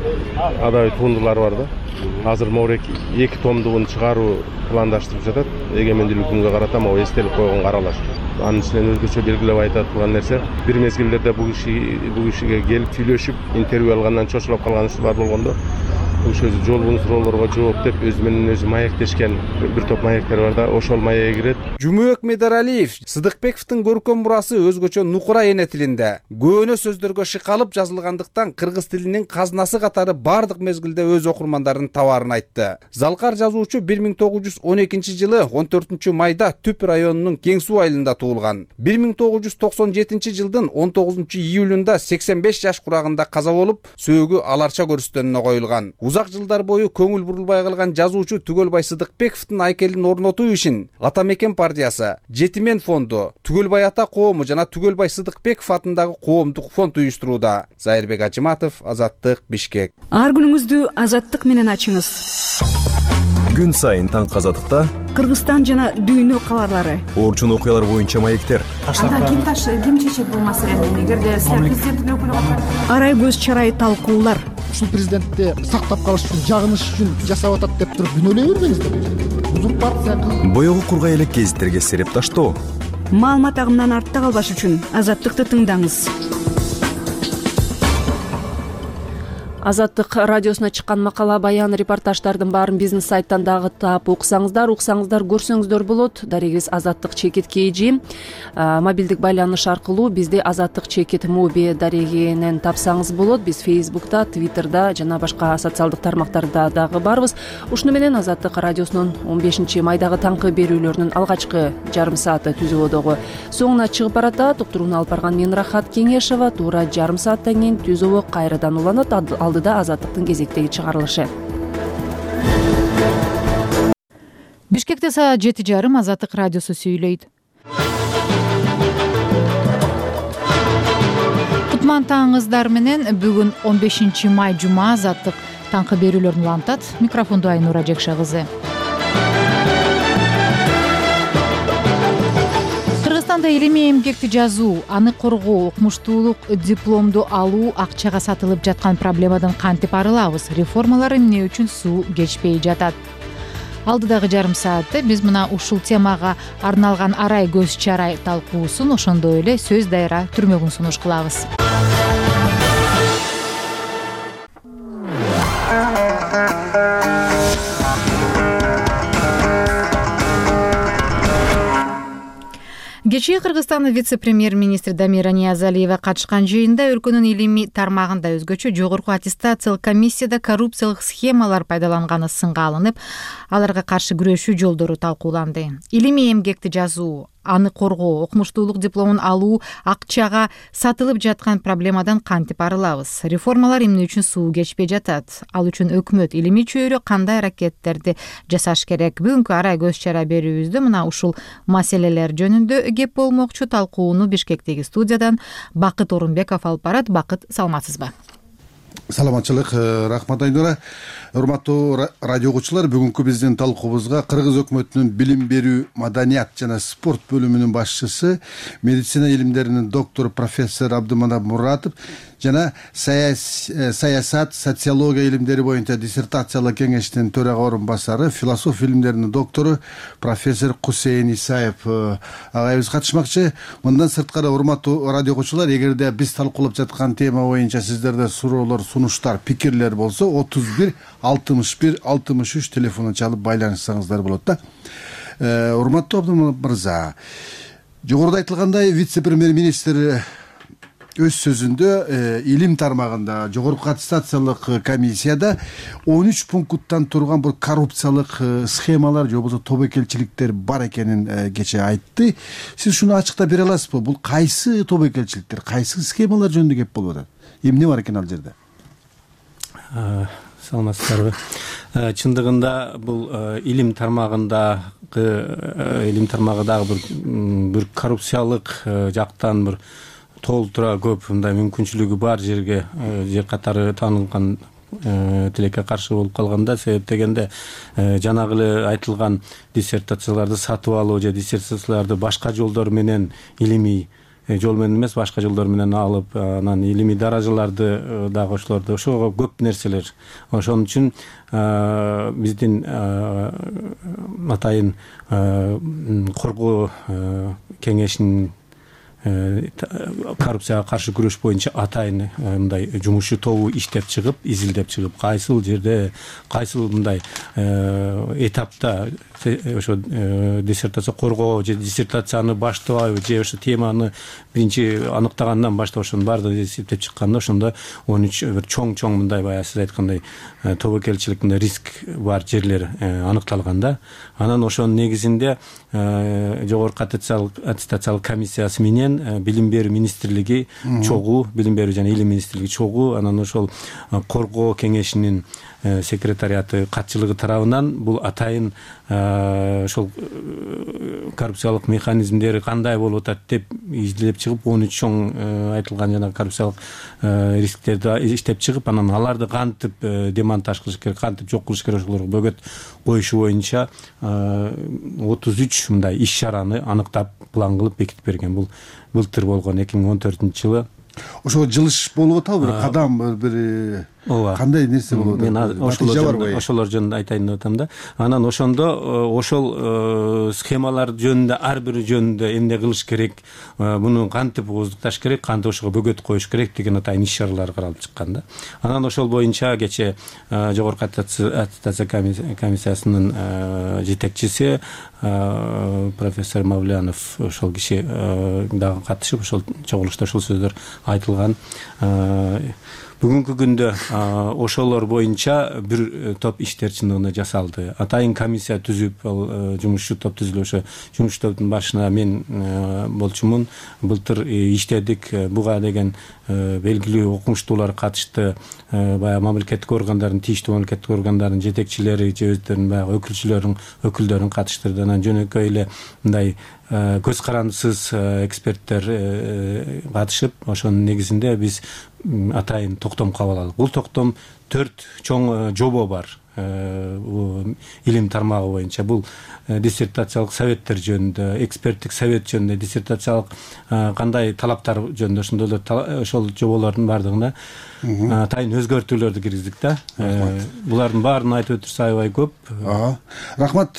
адабий туындулар бар да. Азыр могурек 2 томдугун чыгаруу пландаштырып жатат. Эгемендүүлүк күнгө карата могу эстелик койгонго аралаш. Анын ичинен өзгөчө белгилеп айта турган нерсе, бир мезгилдерде бул кишиге келип сүйлөшүп, интервью алгандан чочулуп калган учурлар болгондо, ошо жолбун суроолорго жооп деп өзү менен өзү маектешкен бир топ маектер бар да, ошол маекке кирет. Жумөк Медаралиев Сыдыкбековдун көркөм мурасы өзгөчө нукура эне тилинде, көөнө сөздөргө шыкалып жазылгандыктан кыргыз тилинин казнасы катары бардык мезгилде өз окурмандарын табаарын айтты. Залкар жазуучу 1912-жылы 14-майда Түп районунун Кең суу айылында туулган. 1997-жылдын 19-июлунда 85 жаш курагында каза болуп, сөөгү аларча көрүстөнүнө коюлган. Узак жылдар бою көңүл бурулбай калган жазуучу Түгөлбай Сыдыкбековдун айкелин орнотуу ишин Ата Мекен партиясы, Жетимен фонду, Түгөлбай ата коому жана Түгөлбай Сыдыкбеков атындагы коомдук фонд уюштурууда. Зайырбек Ажыматов, Азаттык, Бишкек. Ар күнүңүздү Азаттык менен ачыңыз. Күн сайын таңкы азаттыкта Кыргызстан жана дүйнө кабарлары, орчун окуялар боюнча маектер. Анда ким чечет бул маселени? Эгерде президенттин өкүлү катары арай көз чарай талкуулар. Ушул президентти сактап калыш үчүн, жагыныш үчүн жасап атат деп туруп күнөөлөй бербеңиздер. Узурпация Боёгу кургай элек гезиттерге сереп таштоо. Маалымат агымынан артта калбаш үчүн Азаттыкты тыңдаңыз. Азаттык радиосуна чыккан макала, баян, репортаждардын баарын бизнес сайттан дагы таап уксаңыздар, көрсөңүздөр болот. Дарегиз Азаттык чекит KG. Мобилдик байланыш аркылуу бизди Азаттык чекит моби дарегинен тапсаңыз болот. Биз Facebook'та, Twitter'да жана башка социалдык тармактарда дагы барбыз. Ушуну менен Азаттык радиосунун 15-майдагы таңкы берүүлөрүнүн алгачкы жарым сааты түзөөдөгү соңуна чыгып баратат. Уктурууну алып барган мен Рахат Кеңешова. Туура жарым сааттан кийин түзөө кайрадан уланат. Алдыда Азаттыктын кезектеги чыгарылышы. Бишкекте саат 7:30 Азаттык радиосу сүйлөйт. Кутман таңыңыздар менен бүгүн 15-май жума Азаттык таңкы берүүлөрүн улантат. Микрофонду Айнура Жекша кызы. Кыргызстанда илимий эмгекти жазуу, аны коргоо, окумуштуулук дипломду алуу акчага сатылып жаткан проблемадан кантип арылабыз? Реформалар эмне үчүн суу кечпей жатат? Алдыдагы жарым саатта биз мына ушул темага арналган арай көз чарай талкуусун, ошондой эле сөз дайра түрмөгүн сунуш кылабыз. Кечээ Кыргызстандын вице-премьер-министри Дамира Ниязалиева катышкан жыйында өлкөнүн илимий тармагында өзгөчө жогорку аттестациялык комиссияда коррупциялык схемалар пайдаланганы сынга алынып, аларга каршы күрөшүү жолдору талкууланды. Илимий эмгекти жазуу, аны коргоо, окумуштуулук дипломун алуу акчага сатылып жаткан проблемадан кантип арылабыз? Реформалар эмне үчүн суу кечпей жатат? Ал үчүн өкмөт, илимий чөйрө кандай аракеттерди жасаш керек? Бүгүнкү арай көз чара берүүбүздө мына ушул маселелер жөнүндө кеп болмокчу. Талкууну Бишкектеги студиядан Бакыт Орунбеков алып барат. Бакыт, саламатсызбы? Саламатчылык, рахмат Айнура. Урматтуу радио угуучулар, бүгүнкү биздин талкуубузга Кыргыз өкмөтүнүн билим берүү, маданият жана спорт бөлүмүнүн башчысы, медицина илимдеринин доктору профессор Абдыманап Муратов жана саясат, социология илимдери боюнча диссертациялык кеңештин төрага орун басары, философия илимдеринин доктору профессор Кусейин Исаев агайыбыз катышмакчы. Мындан сырткары, урматтуу радио угуучулар, эгерде биз талкуулап жаткан тема боюнча сиздерде суроолор, сунуштар, пикирлер болсо 31-61-63 телефону чалып байланышсаңыздар болот да. Урматтуу Абдыманап мырза, жогоруда айтылгандай, вице-премьер-министр өз сөзүндө илим тармагында жогорку аттестациялык комиссияда 13 пункттан турган бир коррупциялык схемалар же болбосо тобокелчиликтер бар экенин кечээ айтты. Сиз шуну ачыктап бере аласызбы? Бул кайсы тобокелчиликтер, кайсы схемалар жөнүндө кеп болуп атат? Эмне бар экен ал жерде? Саламатсыздарбы? Чындыгында бул илим тармагындагы бир коррупциялык жактан бир толтура көп мындай мүмкүнчүлүгү бар жерге же катары таанылган тилекке каршы болуп калганда, себеп дегенде жанагы эле айтылган диссертацияларды сатып алуу же диссертацияларды башка жолдор менен, илимий жол менен эмес, башка жолдор менен алып, анан илимий даражаларды дагы ошолорду, ошого көп нерселер. Ошон үчүн биздин атайын коргоо кеңешинин коррупцияга каршы күрөш боюнча атайын мындай жумушчу тобу иштеп чыгып, изилдеп чыгып, кайсыл жерде, кайсыл мындай этапта ошо диссертация коргоо же диссертацияны баштабайбы же ошо теманы биринчи аныктагандан баштап ошонун баардыгын эсептеп чыкканда, ошондо 13 бир чоң мындай баягы сиз айткандай тобокелчилик мындай риск бар жерлер аныкталганда, анан ошонун негизинде жогорку аттестациялык комиссиясы менен менен билим берүү министрлиги чогуу, билим берүү жана илим министрлиги чогуу, анан ошол коргоо кеңешинин секретариаты катчылыгы тарабынан бул атайын ошол коррупциялык механизмдери кандай болуп атат деп изилдеп чыгып, 13 чоң айтылган жана коррупциялык рисктерди иштеп чыгып, анан аларды кантип демонтаж кылыш керек, кантип жок кылыш керек, ошолорго бөгөт коюшу боюнча 33 мындай иш чараны аныктап, план кылып бекитип берген. Бул былтыр болгон 2014-жылы. Ошого жылыш болуп атабы, бир кадам, бир кандай нерсе болуп атат? Мен ошолор жөнүндө айтайын деп атам да. Анан ошондо ошол схемалар жөнүндө, ар бири жөнүндө эмне кылыш керек, муну кантип ооздукташ керек, кантип ошого бөгөт коюш керек деген атайын иш чаралар каралып чыккан да. Анан ошол боюнча кечээ жогорку аттестация комиссиясынын жетекчиси профессор Мавлянов, ошол киши дагы катышып, ошол чогулушта ошол сөздөр айтылган. Бүгүнкү күндө ошолор боюнча бир топ иштер чындыгында жасалды. Атайын комиссия түзүп, ал жумушчу топ түзүлүп, ошо жумушчу топтун башына мен болчумун. Былтыр иштедик. Буга деген белгилүү окумуштуулар катышты. Баягы мамлекеттик органдардын, тийиштүү мамлекеттик органдардын жетекчилери же өздөрүнүн баягы өкүлдөрүн катыштырды. Анан жөнөкөй эле мындай көз карандысыз эксперттер катышып, ошонун негизинде биз атайын токтом кабыл алдык. Бул токтом 4 чоң жобо бар. Илим тармагы боюнча бул диссертациялык советтер жөнүндө, эксперттик совет жөнүндө, диссертациялык кандай талаптар жөнүндө, ошондой эле ошол жоболордун бардыгына атайын өзгөртүүлөрдү киргиздик да. Булардын баарын айтып өтүрсө аябай көп. Рахмат.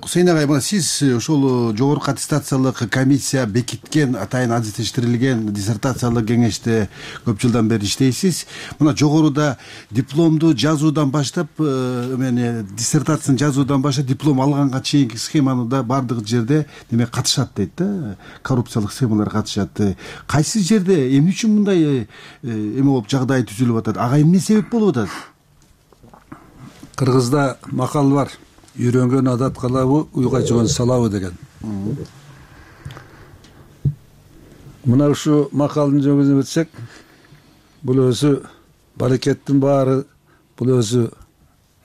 Кусейин агай, мына сиз ошол жогорку аттестациялык комиссия бекиткен, атайын адистештирилген диссертациялык кеңеште көп жылдан бери иштейсиз. Мына жогоруда дипломду жазуудан баштап, диссертацияны жазуудан баштап диплом алганга чейинки схеманы да бардык жерде неме катышат дейт да. Коррупциялык схемалар катышат. Кайсы жерде эмне үчүн мындай эме болуп жагдай түзүлүп атат? Ага эмне себеп болуп атат? Кыргызда макал бар. Үйрөнгөн адат калабы, уйга жон салабы деген. Мына ушу макалдын жөнүндө өтсөк, бул өзү баракеттин баары, бул өзү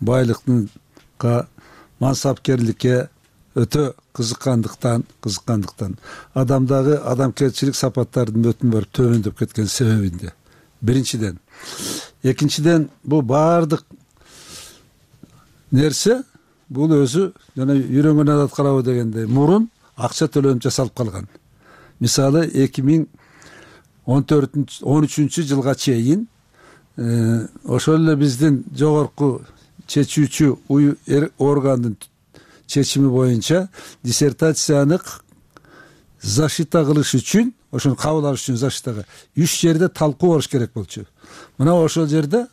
байлыктын мансапкерликке өтө кызыккандыктан адамдагы адамгерчилик сапаттардын өтүн барып төмөндөп кеткен себебинде. Биринчиден. Экинчиден, бул баардык нерсе бул өзү жана үйрөнгөн адат калабы дегендей мурун акча төлөнүп жасалып калган. Мисалы 2013 жылга чейин ошол эле биздин жогорку чечүүчү органдын чечими боюнча диссертацияны защита кылыш үчүн, ошону кабыл алыш үчүн защитага 3 жерде талкуу болуш керек болчу. Мына ошол жерде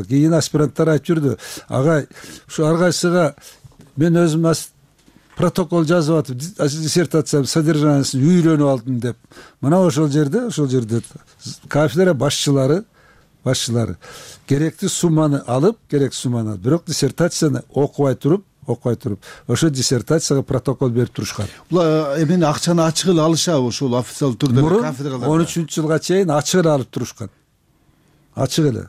кийин аспиранттар айтып жүрдү. Агай, ушу ар кайсыга мен өзүм протокол жазып атып, диссертациянын содержаниясын үйрөнүп алдым деп. Мына ошол жерде кафедра башчылары керектүү сумманы алып, бирок диссертацияны окубай туруп, ошо диссертацияга протокол берип турушкан. Булар эмне акчаны ачык эле алышабы ошол официалдуу түрдө кафедраларда? 13-жылга чейин ачык эле алып турушкан. Ачык эле.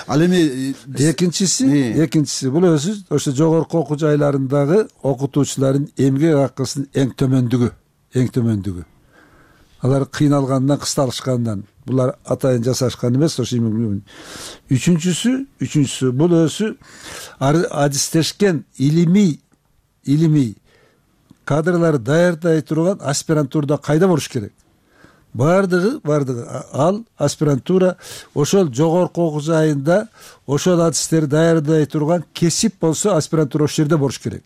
Ал эми экинчиси бул өзү ошо жогорку окуу жайларындагы окутуучулардын эмгек акысынын эң төмөндүгү. Алар кыйналгандан, кысталышкандан, булар атайын жасашкан эмес, ошо үчүнчүсү бул өзү адистешкен илимий кадрларды даярдай турган аспирантурада кайда болуш керек? Бардыгы ал аспирантура ошол жогорку окуу жайында ошол адистерди даярдай турган кесип болсо аспирантура ошол жерде болуш керек.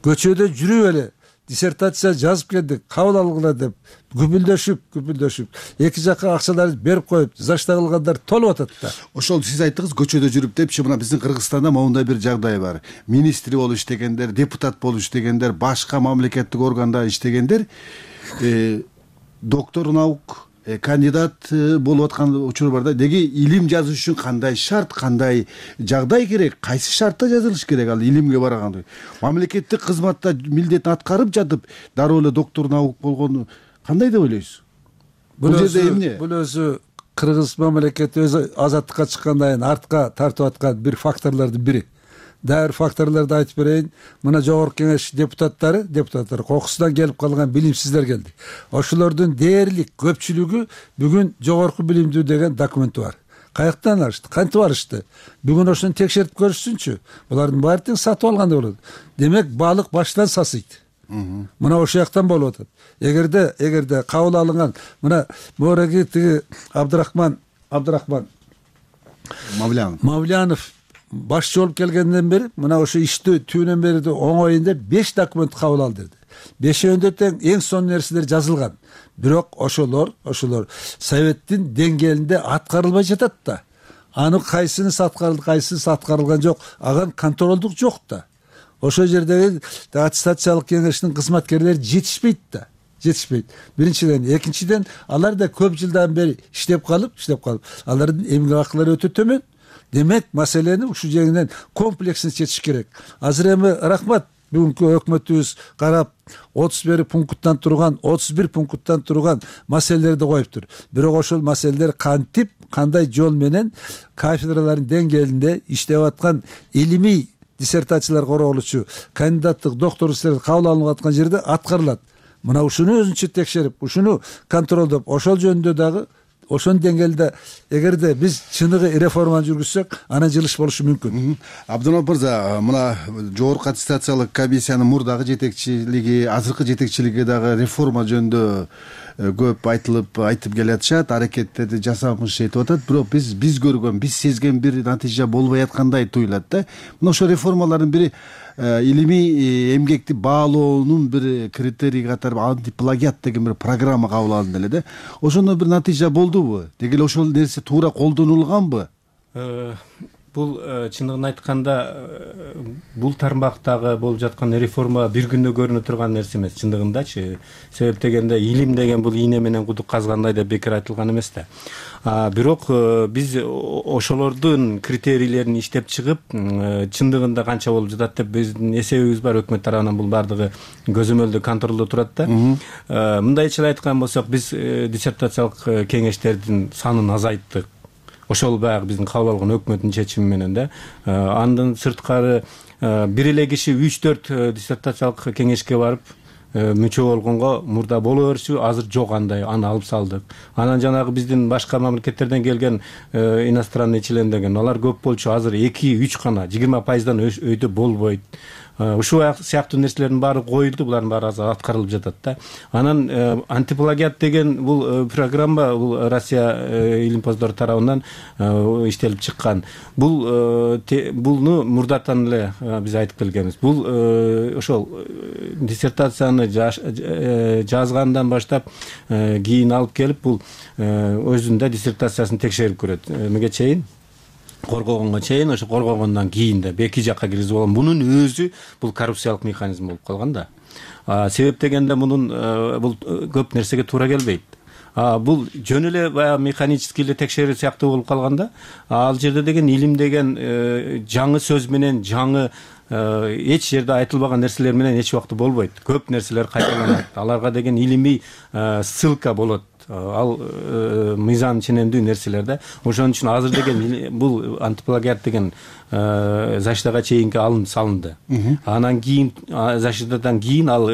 Көчөдө жүрүп эле диссертация жазып келдик, кабыл алгыла деп күпүлдөшүп, эки жакка акчаларды берип коюп, защита кылгандар толуп атат да. Ошол сиз айттыңыз көчөдө жүрүп депчи, мына биздин Кыргызстанда моундай бир жагдай бар. Министри болуп иштегендер, депутат болуп иштегендер, башка мамлекеттик органда иштегендер, доктор наук, кандидат болуп аткан учур бар да. Деги илим жазыш үчүн кандай шарт, кандай жагдай керек, кайсы шартта жазылыш керек ал илимге барганда? Мамлекеттик кызматта милдетин аткарып жатып, дароо эле доктор наук болгону кандай деп ойлойсуз? бул жерде эмне? Бул өзү кыргыз мамлекети өзү азаттыкка чыккандан кийин артка тартып аткан бир факторлордун бири. Дагы бир факторлорду айтып берейин. Мына жогорку кеңеш депутаттары кокусунан келип калган билимсиздер келди. Ошолордун дээрлик көпчүлүгү бүгүн жогорку билимдүү деген документи бар. Каяктан алышты? Кантип алышты? Бүгүн ошону текшерип көрүшсүнчү. Булардын баары тең сатып алгандай болот. Демек балык баштан сасыйт. Мына ошол жактан болуп атат. Эгерде кабыл алынган мына мореги тиги Абдрахман Мавлянов башчы болуп келгенден бери мына ошо ишти түбүнөн бери оңоюн деп 5 документ кабыл алды деди. 5-өндө тең эң сонун нерселер жазылган. Бирок ошолор советтин деңгээлинде аткарылбай жатат да. Аны кайсынысы аткарылды, кайсынысы аткарылган жок, ага контролдук жок да. Ошол жердеги аттестациялык кеңештин кызматкерлери жетишпейт да. Биринчиден, экинчиден алар да көп жылдан бери иштеп калып, алардын эмгек акылары өтө төмөн. Демек, маселени ушул жеңинен комплексин чечиш керек. Азыр эми рахмат бүгүнкү өкмөтүбүз карап 31 пункттан турган маселелерди коюптур. Бирок ошол маселелер кантип, кандай жол менен кафедралардын деңгээлинде иштеп аткан илимий диссертациялар корголучу, кандидаттык, докторлук кабыл алынып аткан жерде аткарылат. Мына ушуну өзүнчө текшерип, ушуну контролдоп, ошол жөнүндө дагы ошон деңгээлде эгерде биз чыныгы реформаны жүргүзсөк, анан жылыш болушу мүмкүн. Абдулмамат мырза, мына жогорку аттестациялык комиссиянын мурдагы жетекчилиги, азыркы жетекчилиги дагы реформа жөнүндө көп айтып келатышат, аракеттерди жасамыш этип атат. Бирок биз көргөн, биз сезген бир натыйжа болбой аткандай туюлат да. Мына ошо реформалардын бири илимий эмгекти баалоонун бир критерий катары антиплагиат деген бир программа кабыл алынды эле да. Ошондо бир натыйжа болдубу? Деги эле ошол нерсе туура колдонулганбы? Бул чындыгын айтканда бул тармактагы болуп жаткан реформа бир күндө көрүнө турган нерсе эмес чындыгындачы. Себеп дегенде илим деген бул ийне менен кудук казгандай деп бекер айтылган эмес да. Бирок биз ошолордун критерийлерин иштеп чыгып, чындыгында канча болуп жатат деп биздин эсебибиз бар, өкмөт тарабынан бул бардыгы көзөмөлдө контролдо турат да. Мындайча айткан болсок, биз диссертациялык кеңештердин санын азайттык. Ошол баягы биздин кабыл алган өкмөттүн чечими менен да. Андан сырткары бир эле киши 3-4 диссертациялык кеңешке барып мүчө болгонго мурда боло берчү, азыр жок андай, аны алып салдык. Анан жанагы биздин башка мамлекеттерден келген иностранный член деген, алар көп болчу, азыр 2-3 гана 20% өйдө болбойт. Ушул сыяктуу нерселердин баары коюлду, булардын баары азыр аткарылып жатат да. Анан антиплагиат деген бул программа, бул Россия илимпоздору тарабынан иштелип чыккан. Булну мурдатан эле биз айтып келгенбиз. Бул ошол диссертацияны жазгандан баштап кийин алып келип, бул өзүндө диссертациясын текшерип көрөт. Эмеге чейин коргогонго чейин, ошо коргогондон кийин да эки жакка киргизип алган. Мунун өзү бул коррупциялык механизм болуп калган да. Себеп дегенде мунун бул көп нерсеге туура келбейт. Бул жөн эле баягы механический эле текшерүү сыяктуу болуп калганда, ал жерде деген илим деген жаңы сөз менен, жаңы эч жерде айтылбаган нерселер менен эч убакта болбойт. Көп нерселер кайталанат. Аларга деген илимий ссылка болот. Ал мыйзам ченемдүү нерселер да. Ошон үчүн азыр деген бул антиплагиат деген защитага чейинки салынды. Анан кийин защитадан кийин ал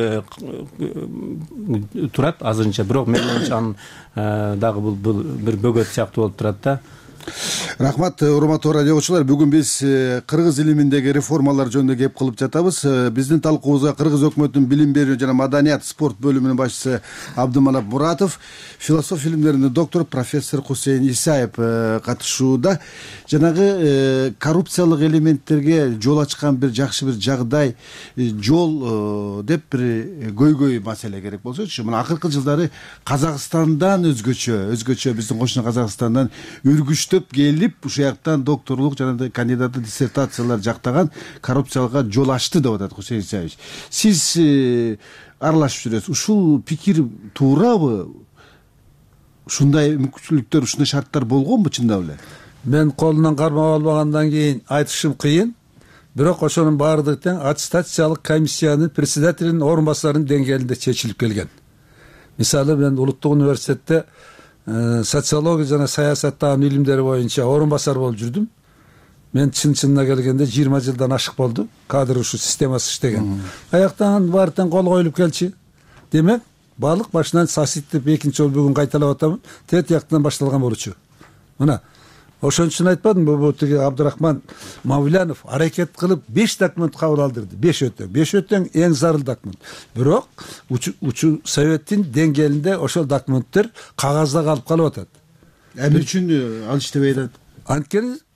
турат азырынча. Бирок мен оюмча анын дагы бул бир бөгөт сыяктуу болуп турат да. Рахмат, урматтуу радио угуучулар. Бүгүн биз кыргыз илиминдеги реформалар жөнүндө кеп кылып жатабыз. Биздин талкуубузга кыргыз өкмөтүнүн билим берүү жана маданият спорт бөлүмүнүн башчысы Абдыманап Муратов, философия илимдеринин доктору профессор Хусейин Исаев катышууда. Жанагы коррупциялык элементтерге жол ачкан бир жакшы бир жагдай, жол деп бир көйгөй маселе керек болсочу. Мына акыркы жылдары Казакстандан өзгөчө биздин кошуна Казакстандан үргүчтөп келип, ушул жактан докторлук жана кандидаттык диссертациялар жактаган коррупциялыкка жол ачты деп атат Хусейин Исаевич. Сиз аралашып жүрөсүз. Ушул пикир туурабы? Ушундай мүмкүнчүлүктөр, ушундай шарттар болгонбу чындап эле? Мен колунан кармап албагандан кийин айтышым кыйын. Бирок ошонун баардыгы тең аттестациялык комиссиянын председателинин орун басарынын деңгээлинде чечилип келген. мисалы мен улуттук университетте социология жана саясаттаган илимдери боюнча орун басар болуп жүрдүм. Мен чынына келгенде 20 жылдан ашык болду кадр ушу системасы иштеген. Аяктан баартан кол коюлуп келчи. Демек баалык башынан саситтеп экинчи жолу бүгүн кайталап атамын. Тет жактан башталган болчу. Мына ошон үчүн айтпадымбы, бул тиги Абдырахман Мавлянов аракет кылып 5 документ кабыл алдырды. 5 өтөң эң зарыл документ. Бирок учу советтин деңгээлинде ошол документтер кагазда калып атат. Эмне үчүн ал иштебей атат?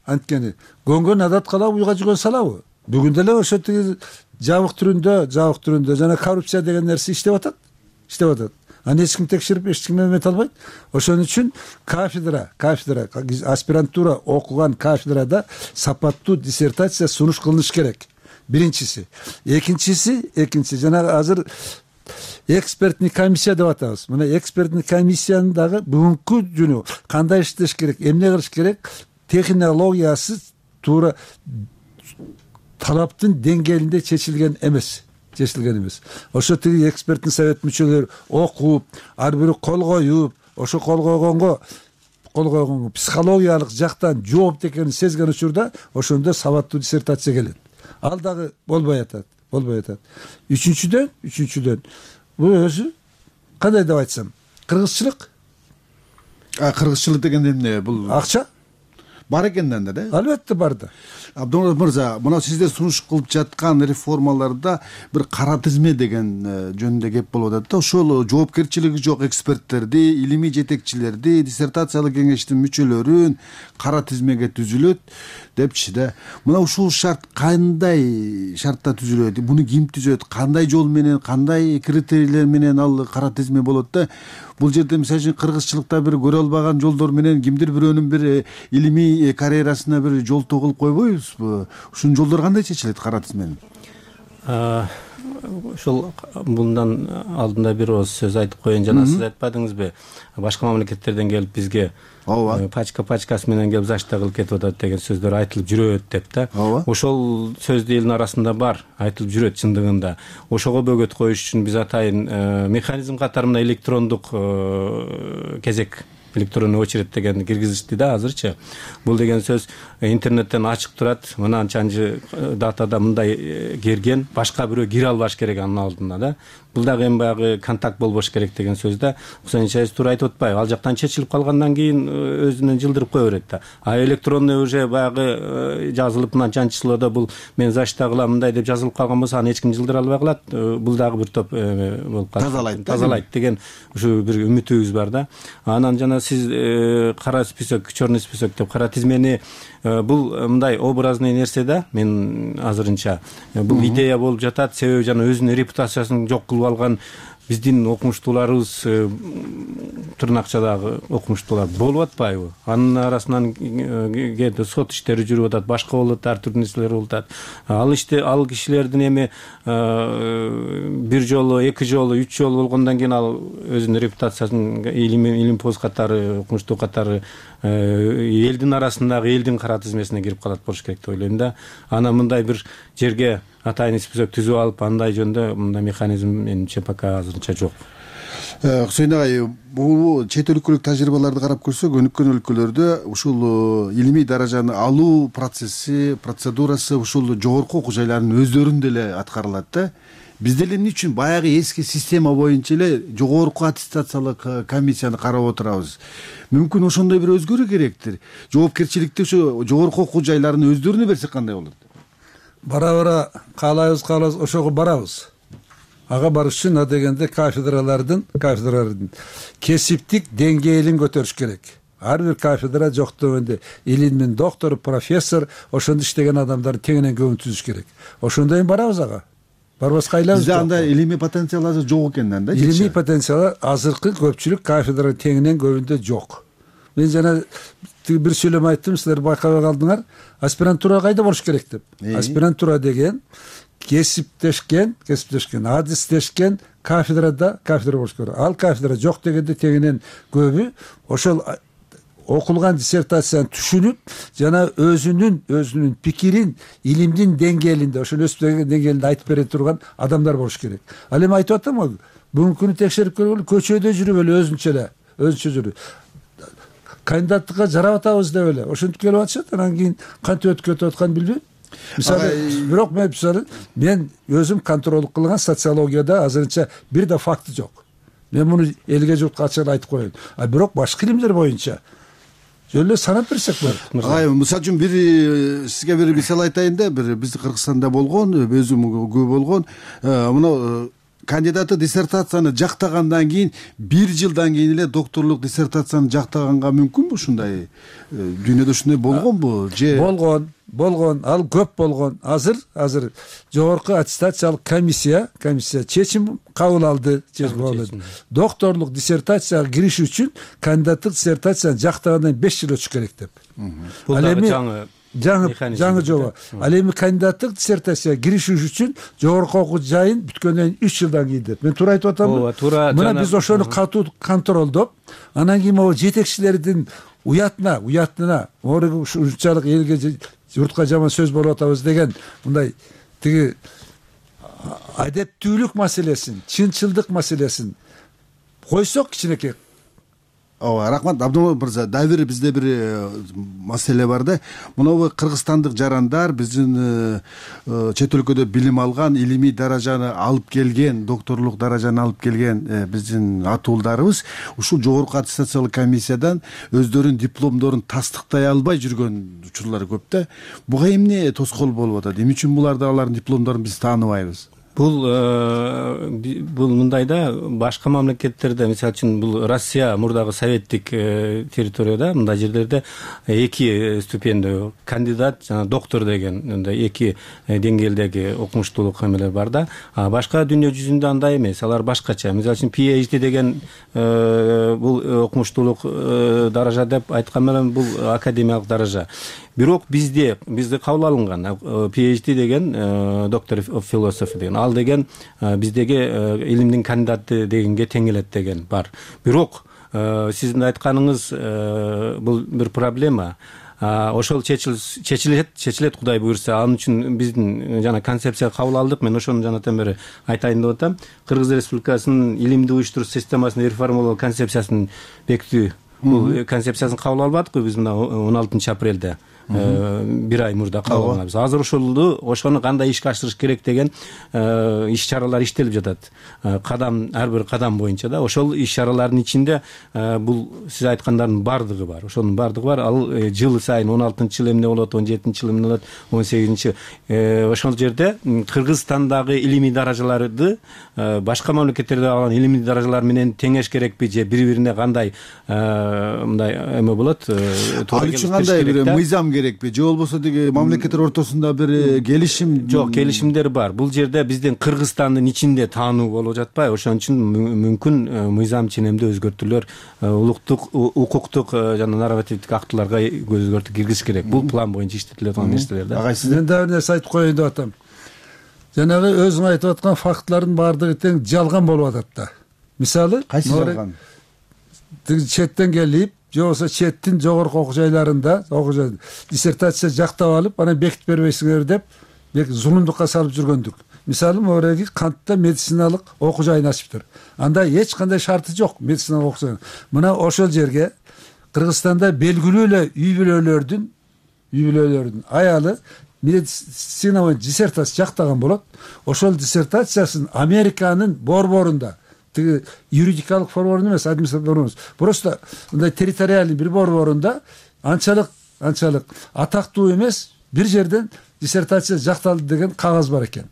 Анткени көнгөн адат кала уйга жүгөн салабы. Бүгүн деле ошо тиги жабык түрүндө жана коррупция деген нерсе иштеп атат. Аны эч ким текшерип, эч ким эмете албайт. Ошон үчүн кафедра, аспирантура окуган кафедрада сапаттуу диссертация сунуш кылыныш керек. Биринчиси. Экинчиси жана азыр экспертный комиссия деп атабыз. Мына экспертный комиссиянын дагы бүгүнкү күнү кандай иштеш керек, эмне кылыш керек, технологиясы туура талаптын деңгээлинде чечилген эмес. Ошо тиги эксперттин совет мүчөлөрү окуп, ар бири кол коюп, ошо кол койгонго психологиялык жактан жооп экенин сезген учурда ошондо сабаттуу диссертация келет. Ал дагы болбой атат. Үчүнчүдөн бул өзү кандай деп айтсам, кыргызчылык. Кыргызчылык дегенде эмне? Бул акча бар экенден да? Албетте бар да. Абдымурат мырза, мына сиздер сунуш кылып жаткан реформаларда бир кара тизме деген жөнүндө кеп болуп атат да. Ошол жоопкерчилиги жок эксперттерди, илимий жетекчилерди, диссертациялык кеңештин мүчөлөрүн кара тизмеге түзүлөт депчи да. Мына ушул шарт кандай шартта түзүлөт? Буну ким түзөт? Кандай жол менен, кандай критерийлер менен ал кара тизме болот да? Бул жерде мисалы үчүн кыргызчылыкта бир көрө албаган жолдор менен кимдир бирөөнүн бир илимий карьерасына бир жол кылып койбойбузбу? Ушул жолдор кандай чечилет кара тизменин? Ушул мындан алдында бир ооз сөз айтып коеюн. Жана сиз айтпадыңызбы, башка мамлекеттерден келип бизге пачкасы менен келип зачта кылып кетип атат деген сөздөр айтылып жүрөт деп да. Ошол сөз элдин арасында бар, айтылып жүрөт чындыгында. Ошого бөгөт коюш үчүн биз атайын механизм катары мына электрондук кезек, электронный очередь дегенди киргизишти да азырчы. Бул деген сөз интернеттен ачык турат, мынанчанчы датада мындай кирген, башка бирөө кире албаш керек анын алдына да. Бул дагы эми баягы контакт болбош керек деген сөз да. Хусейин Чаиз туура айтып атпайбы? Ал жактан чечилип калгандан кийин өзүнөн жылдырып кое берет да. электронный уже баягы жазылып мынанчанчы числода бул мен зачта кылам мындай деп жазылып калган болсо аны эч ким жылдыра албай калат. Бул дагы бир топ болуп калат. Тазалайт деген ушу бир үмүтүбүз бар да. Анан жана сиз кара список, черный список деп кара тизмени бул мындай образный нерсе да. Мен азырынча бул идея болуп жатат, себеби жана өзүнүн репутациясын жок кылып алган биздин окумуштууларыбыз, тырнакчадагы окумуштуулар болуп атпайбы? Анын арасынан кээде сот иштери жүрүп атат, башка болуп атат, ар түрдүү нерселер болуп атат. Ал кишилердин эми бир жолу, эки жолу, үч жолу болгондон кийин ал өзүнүн репутациясын илимпоз катары, окумуштуу катары элдин арасындагы элдин кара тизмесине кирип калат болуш керек деп ойлойм да. Анан мындай бир жерге атайын список түзүп алып, андай жөнүндө мындай механизм менимче пока азырынча жок. Хусейин агай, бул чет өлкөлүк тажрыйбаларды карап көрсөк, өнүккөн өлкөлөрдө ушул илимий даражаны алуу процесси, процедурасы ушул жогорку окуу жайлардын өздөрүн деле аткарылат да. Бизде эле эмне үчүн баягы эски система боюнча эле жогорку аттестациялык комиссияны карап отурабыз? Мүмкүн ошондой бир өзгөрүү керектир. Жоопкерчиликти ушу жогорку окуу жайларынын өздөрүнө берсек кандай болот? Бара каалайбыз, ошого барабыз. Ага барыш үчүн дегенде кафедралардын кесиптик деңгээлин көтөрүш керек. Ар бир кафедра жок дегенде илимдин доктору, профессор, ошондо иштеген адамдарды теңинен көбүн түзүш керек. Ошондой барабыз ага. Барбаска айлабыз. Бизде андай илимий потенциал азыр жок экенден да. Илимий потенциал азыркы көпчүлүк кафедра теңинен көбүндө жок. Мен жана бир сүйлөм айттым, силер байкабай калдыңар. Аспирантура кайда болуш керек деп. Аспирантура деген кесиптешкен, адистешкен кафедра болуш керек. Ал кафедра жок дегенде тегинен көбү ошол окулган диссертацияны түшүнүп, жана өзүнүн пикирин илимдин деңгээлинде, ошол өсүп деңгээлинде айтып бере турган адамдар болуш керек. Ал эми айтып атам, бүгүнкү күнү текшерип көргүлө, көчөдө жүрүп эле өзүнчө жүрүп кандидаттыкка жарап атабыз деп эле ошентип келип атышат. Анан кийин кантип өтүп кетип атканын билбейм. Мисалы, бирок мен өзүм контролдук кылган социологияда азырынча бир да факты жок. Мен муну элге журтка ачык айтып коеюн. Бирок башка илимдер боюнча жөн эле санап берсек болот. Мисалы үчүн сизге бир мисал айтайын да, бир биздин Кыргызстанда болгон, өзүм көп болгон, мына кандидаты диссертацияны жактагандан кийин 1 жылдан кийин эле докторлук диссертацияны жактаганга мүмкүнбү? Ушундай дүйнөдө ушундай болгонбу же? Болгон, ал көп болгон. Азыр жогорку аттестациялык комиссия чечим кабыл алды. Докторлук диссертацияга кириш үчүн кандидаттык диссертацияны жактагандан 5 жыл өтүш керек деп. Бул дагы жаңы жоба. Ал эми кандидаттык диссертацияга кириш үчүн жогорку окуу жайын бүткөндөн 3 жылдан кийин деп. Мен туура айтып атамбы? Мына биз ошону катуу контролдоп, анан кийин могу жетекчилердин уятына ушунчалык элге журтка жаман сөз болуп атабыз деген мындай тиги адептүүлүк маселесин, чынчылдык маселесин койсок кичинекей. Ооба, рахмат Абдымомед мырза. Дагы бир бизде бир маселе бар да. Мына кыргызстандык жарандар биздин чет өлкөдө билим алган, илимий даражаны алып келген, докторлук даражаны алып келген биздин атуулдарыбыз ушул жогорку аттестациялык комиссиядан өздөрүнүн дипломдорун тастыктай албай жүргөн учурлар көп да. Буга эмне тоскоол болуп атат? Эмне үчүн алардын дипломдорун биз тааныбайбыз? Бул мындай да, башка мамлекеттерде, мисалы үчүн бул Россия мурдагы советтик территорияда мындай жерлерде 2 ступендүү кандидат жана доктор деген мындай 2 деңгээлдеги окумуштуулук эмелер бар да. Башка дүйнө жүзүндө андай эмес, алар башкача. Мисалы үчүн PhD деген бул окумуштуулук даража деп айткан менен бул академиялык даража. Бирок бизде кабыл алынган PhD деген доктор of philosophy деген, ал деген биздеги илимдин кандидаты дегенге тең келет деген бар. Бирок сиздин айтканыңыз бул бир проблема. Ошол чечилет Кудай буйрса. Анын үчүн биздин жана концепция кабыл алдык. Мен ошону жанатан бери айтайын деп атам. Кыргыз Республикасынын илимди уюштуруш системасын реформалоо концепциясын бекитүү. Бул концепциясын кабыл албадыкпы биз мына 16 апрелде. 1 ай мурда кабыл алганбыз. Азыр ошону кандай ишке ашырыш керек деген иш чаралар иштелип жатат. Ар бир кадам боюнча да. Ошол иш чаралардын ичинде бул сиз айткандардын бардыгы бар. Ошонун бардыгы бар. Ал жыл сайын 16-жыл эмне болот, 17-жыл эмне болот, 18-жи. Ошол жерде Кыргызстандагы илимий даражаларды башка мамлекеттерде алган илимий даражалар менен теңеш керекпи же бири-бирине кандай мындай эме болот? Ал үчүн кандай бир мыйзам керекпи же болбосо деги мамлекеттер ортосунда бир келишим? Жок, келишимдер бар. Бул жерде биздин Кыргызстандын ичинде таануу болуп жатпайбы? Ошон үчүн мүмкүн мыйзам ченемдүү өзгөртүүлөр улуттук, укуктук жана нормативдик актыларга өзгөртүү киргизиш керек. Бул план боюнча иштетилип аткан нерселер да. Мен дагы бир нерсе айтып коеюн деп атам. Жанагы өзүң айтып аткан фактлардын баардыгы тең жалган болуп атат да. Мисалы, кайсы жалган? Четтен келип, же болбосо четтин жогорку окуу жайларында диссертация жактап алып, анан бекитип бербейсиңер деп зулумдукка салып жүргөндүк. Мисалы, мореги Кантта медициналык окуу жайын ачыптыр. Анда эч кандай шарты жок медициналык окуу жай. Мына ошол жерге Кыргызстанда белгилүү эле үй бүлөлөрдүн аялы медицина диссертация жактаган болот. Ошол диссертациясын Американын борборунда, тиги юридикалык борборунда эмес, административдик просто мындай территориальный бир борборунда анчалык атактуу эмес бир жерден диссертация жакталды деген кагаз бар экен.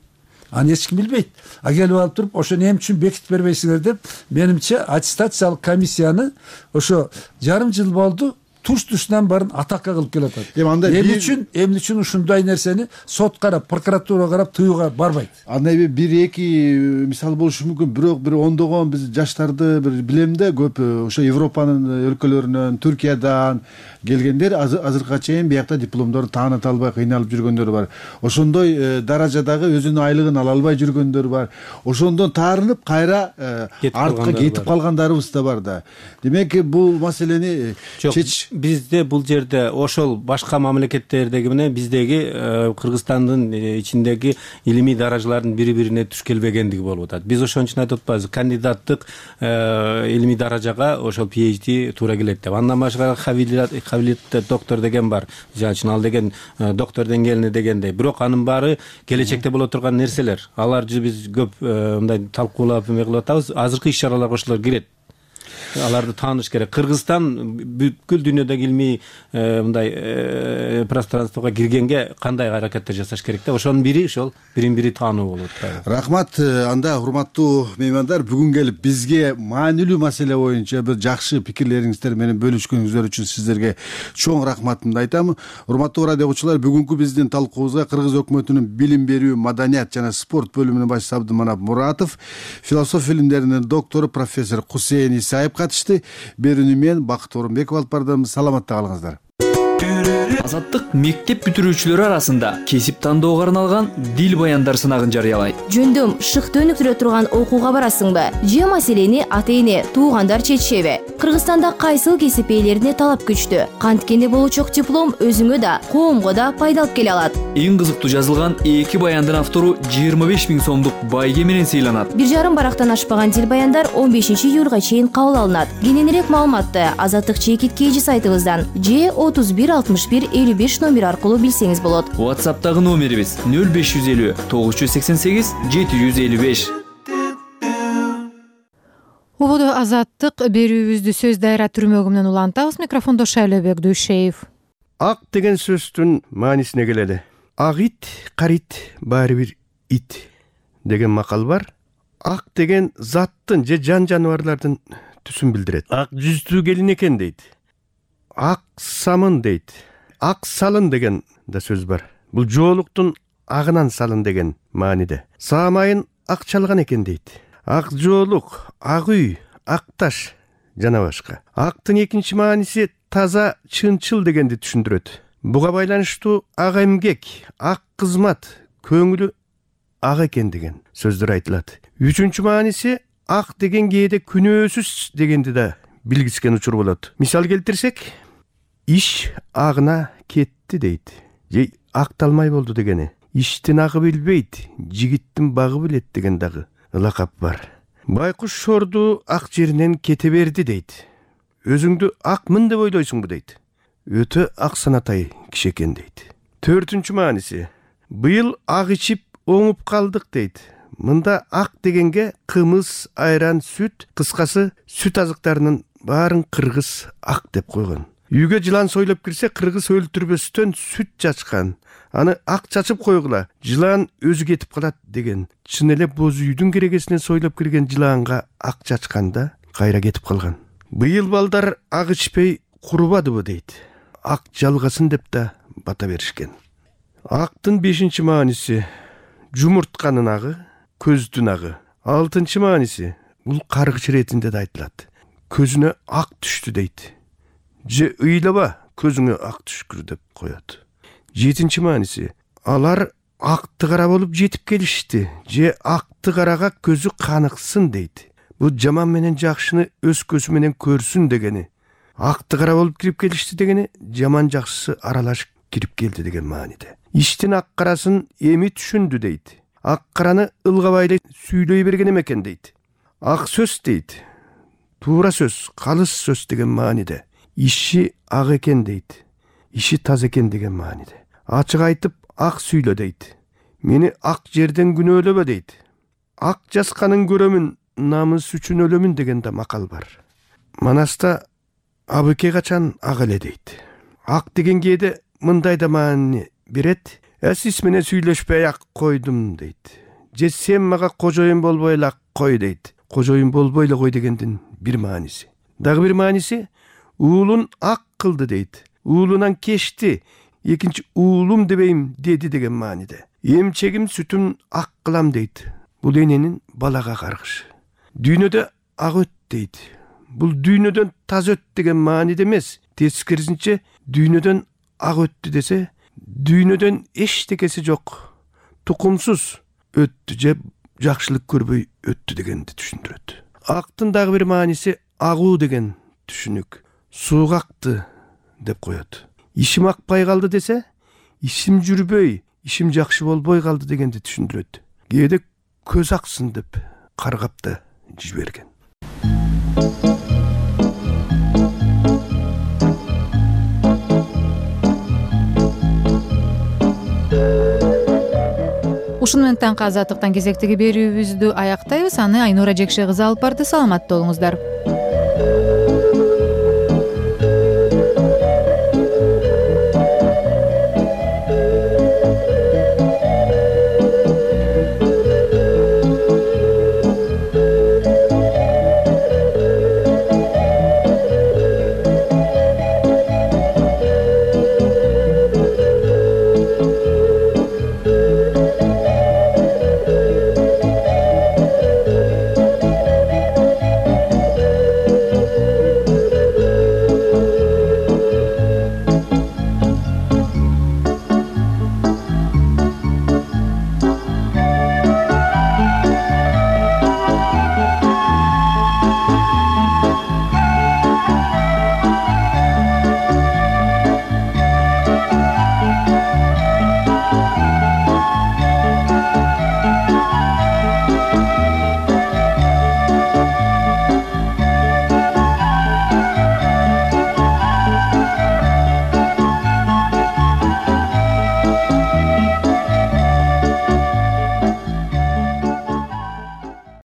Аны эч ким билбейт. Келип алып туруп, ошону эмне үчүн бекитип бербейсиңер деп, менимче аттестациялык комиссияны ошо жарым жыл болду туш-тушунан баарын атакка кылып келатат. Эмне үчүн ушундай нерсени сот карап, прокуратура карап тыюуга барбайт? Андай бир эки мисал болушу мүмкүн, бирок бир ондогон биз жаштарды бир билем да, көп ошо Европанын өлкөлөрүнөн, Түркиядан келгендер азыркыга чейин биякта дипломдорун тааныта албай кыйналып жүргөндөр бар. Ошондой даражадагы өзүнүн айлыгын ала албай жүргөндөр бар. Ошондон таарынып кайра артка кетип калгандарыбыз да бар да. Демек бул маселени бизде бул жерде ошол башка мамлекеттердеги менен биздеги Кыргызстандын ичиндеги илимий даражалардын бири бирине туш келбегендиги болуп атат. Биз ошон үчүн айтып атпайбызбы, кандидаттык илимий даражага ошол PhD туура келет деп. Андан башка кабилеттүү доктор деген бар. Жана ал деген доктор деңгээлине дегендей. Бирок анын баары келечекте боло турган нерселер. Аларды биз көп мындай талкуулап кылып атабыз. Азыркы иш-чараларга ошолор кирет. Аларды тааныш керек. Кыргызстан бүткүл дүйнөдөгү илмий мындай пространствого киргенге кандай аракеттер жасаш керек деп, ошонун бири ошол бирин-бири таануу болот. Рахмат. Анда урматтуу меймандар, бүгүн келип бизге маанилүү маселе боюнча бир жакшы пикирлериңиздер менен бөлүшкөнүңүздөр үчүн сиздерге чоң рахматымды айтам. Урматтуу радио угуучулар, бүгүнкү биздин талкуубузга Кыргыз өкмөтүнүн билим берүү, маданият жана спорт бөлүмүнүн башчысы Абдыманап Муратов, философия илимдеринин доктору профессор Кусейин Исаев катышты. Берүүнү мен Бакыт Орунбеков алып бардым. Саламатта калыңыздар. Азаттык мектеп бүтүрүүчүлөрү арасында кесип тандоого арналган дил баяндар сынагын жарыялайт. Жөндөм шыкты өнүктүрө турган окууга барасыңбы? Же маселени ата-эне, туугандар чечишеби? Кыргызстанда кайсыл кесип ээлерине талап күчтүү? Канткенде болучок диплом өзүңө да, коомго да пайда алып келе алат. Эң кызыктуу жазылган 2 баяндын автору 25 000 сомдук байге менен сыйланат. 1,5 барактан ашпаган дил баяндар 15 июлга чейин кабыл алынат. Кененирээк маалыматты Азаттык чекиткейжи сайтыбыздан же 31 61 55 номер аркылуу билсеңиз болот. WhatsApp'тагы номерибиз 0550 988 755. Убуду Азаттык берүүбүздү сөз дайра түрмөгү менен улантабыз. Микрофондо Шайлебек Дүйшеев. Ак деген сөздүн маанисине келели. Ак ит, карит, баары бир ит деген макал бар. Ак деген заттын же жан жаныбарлардын түсүн билдирет. Ак жүздүү келин экен дейт. Ак самын дейт. Ак салын деген да сөз бар. Бул жоолуктун агынан салын деген мааниде. Саамайын ак чалган экен дейт. Ак жоолук, ак үй, ак таш жана башка. Актын экинчи мааниси таза, чынчыл дегенди түшүндүрөт. Буга байланыштуу ак эмгек, ак кызмат, көңүлү ак экен деген сөздөр айтылат. Үчүнчү мааниси ак деген кээде күнөөсүз дегенди да билгискен учур болот. Мисал келтирсек, иш агына кетти дейт. Же акталмай болду дегени. Иштин агы билбейт, жигиттин багы билет деген дагы лакап бар. Байкуш шорду ак жеринен кете берди дейт. Өзүңдү акмын деп ойлойсуңбу дейт. Өтө ак санатай киши экен дейт. Төртүнчү мааниси, быйыл ак ичип оңуп калдык дейт. Мында ак дегенге кымыз, айран, сүт, кыскасы сүт азыктарынын баарын кыргыз ак деп койгон. Үйгө жылан сойлоп кирсе, кыргыз өлтүрбөстөн сүт чачкан. Аны ак чачып койгула, жылан өзү кетип калат деген. Чын эле боз үйдүн керегесинен сойлоп кирген жыланга ак чачканда кайра кетип калган. Быйыл балдар ак ичпей курубадыбы дейт. Ак жалгасын деп да бата беришкен. Актын 5-чи мааниси жумуртканын агы, көздүн агы. 6-чы мааниси бул каргыч иретинде да айтылат. Көзүнө ак түштү дейт. Же ыйлаба, көзүңө ак түшкүр деп коет. 7-чи мааниси алар акты кара болуп жетип келишти. Же акты карага көзү каныксын дейт. Бул жаман менен жакшыны өз көзү менен көрсүн дегени. Акты кара болуп кирип келишти дегени жаман жакшысы аралашып кирип келди деген мааниде. Иштин ак карасын эми түшүндү дейт. Ак караны ылгабай сүйлөй берген экен дейт. Ак сөз дейт. Туура сөз, калыс сөз деген мааниде. Иши ак экен дейт. Иши таза экен деген мааниде. Ачык айтып ак сүйлө дейт. Мени ак жерден күнөөлөбө дейт. Ак жасканын көрөмүн, намыс үчүн өлөмүн деген да макал бар. Манаста абыке качан ак эле дейт. Ак деген кээде мындай да маани берет. Сиз менен сүйлөшпөй ак койдум дейт. Же сен мага кожоюн болбой эле ак кой дейт. Кожоюн болбой эле кой дегендин бир мааниси. Дагы бир мааниси уулун ак кылды дейт. Уулунан кечти, экинчи уулум дебейм деди деген мааниде. Эмчегим сүтүн ак кылам дейт. Бул эненин балага каргышы. Дүйнөдө ак өт дейт. Бул дүйнөдөн таза өт деген мааниде эмес. Тескерисинче дүйнөдөн ак өттү десе, дүйнөдөн эчтекеси жок, тукумсуз өттү же жакшылык көрбөй өттү дегенди түшүндүрөт. Актын дагы бир мааниси агуу деген түшүнүк. Сууга акты, деп коет. Ишим акпай калды десе, ишим жүрбөй, ишим жакшы болбой калды дегенди түшүндүрөт. Кээде көз аксын деп каргап да жиберген. Ушуну менен таңкы азаттыктан кезектеги берүүбүздү аяктайбыз. Аны Айнура Жекше кызы алып барды. Саламатта болуңуздар.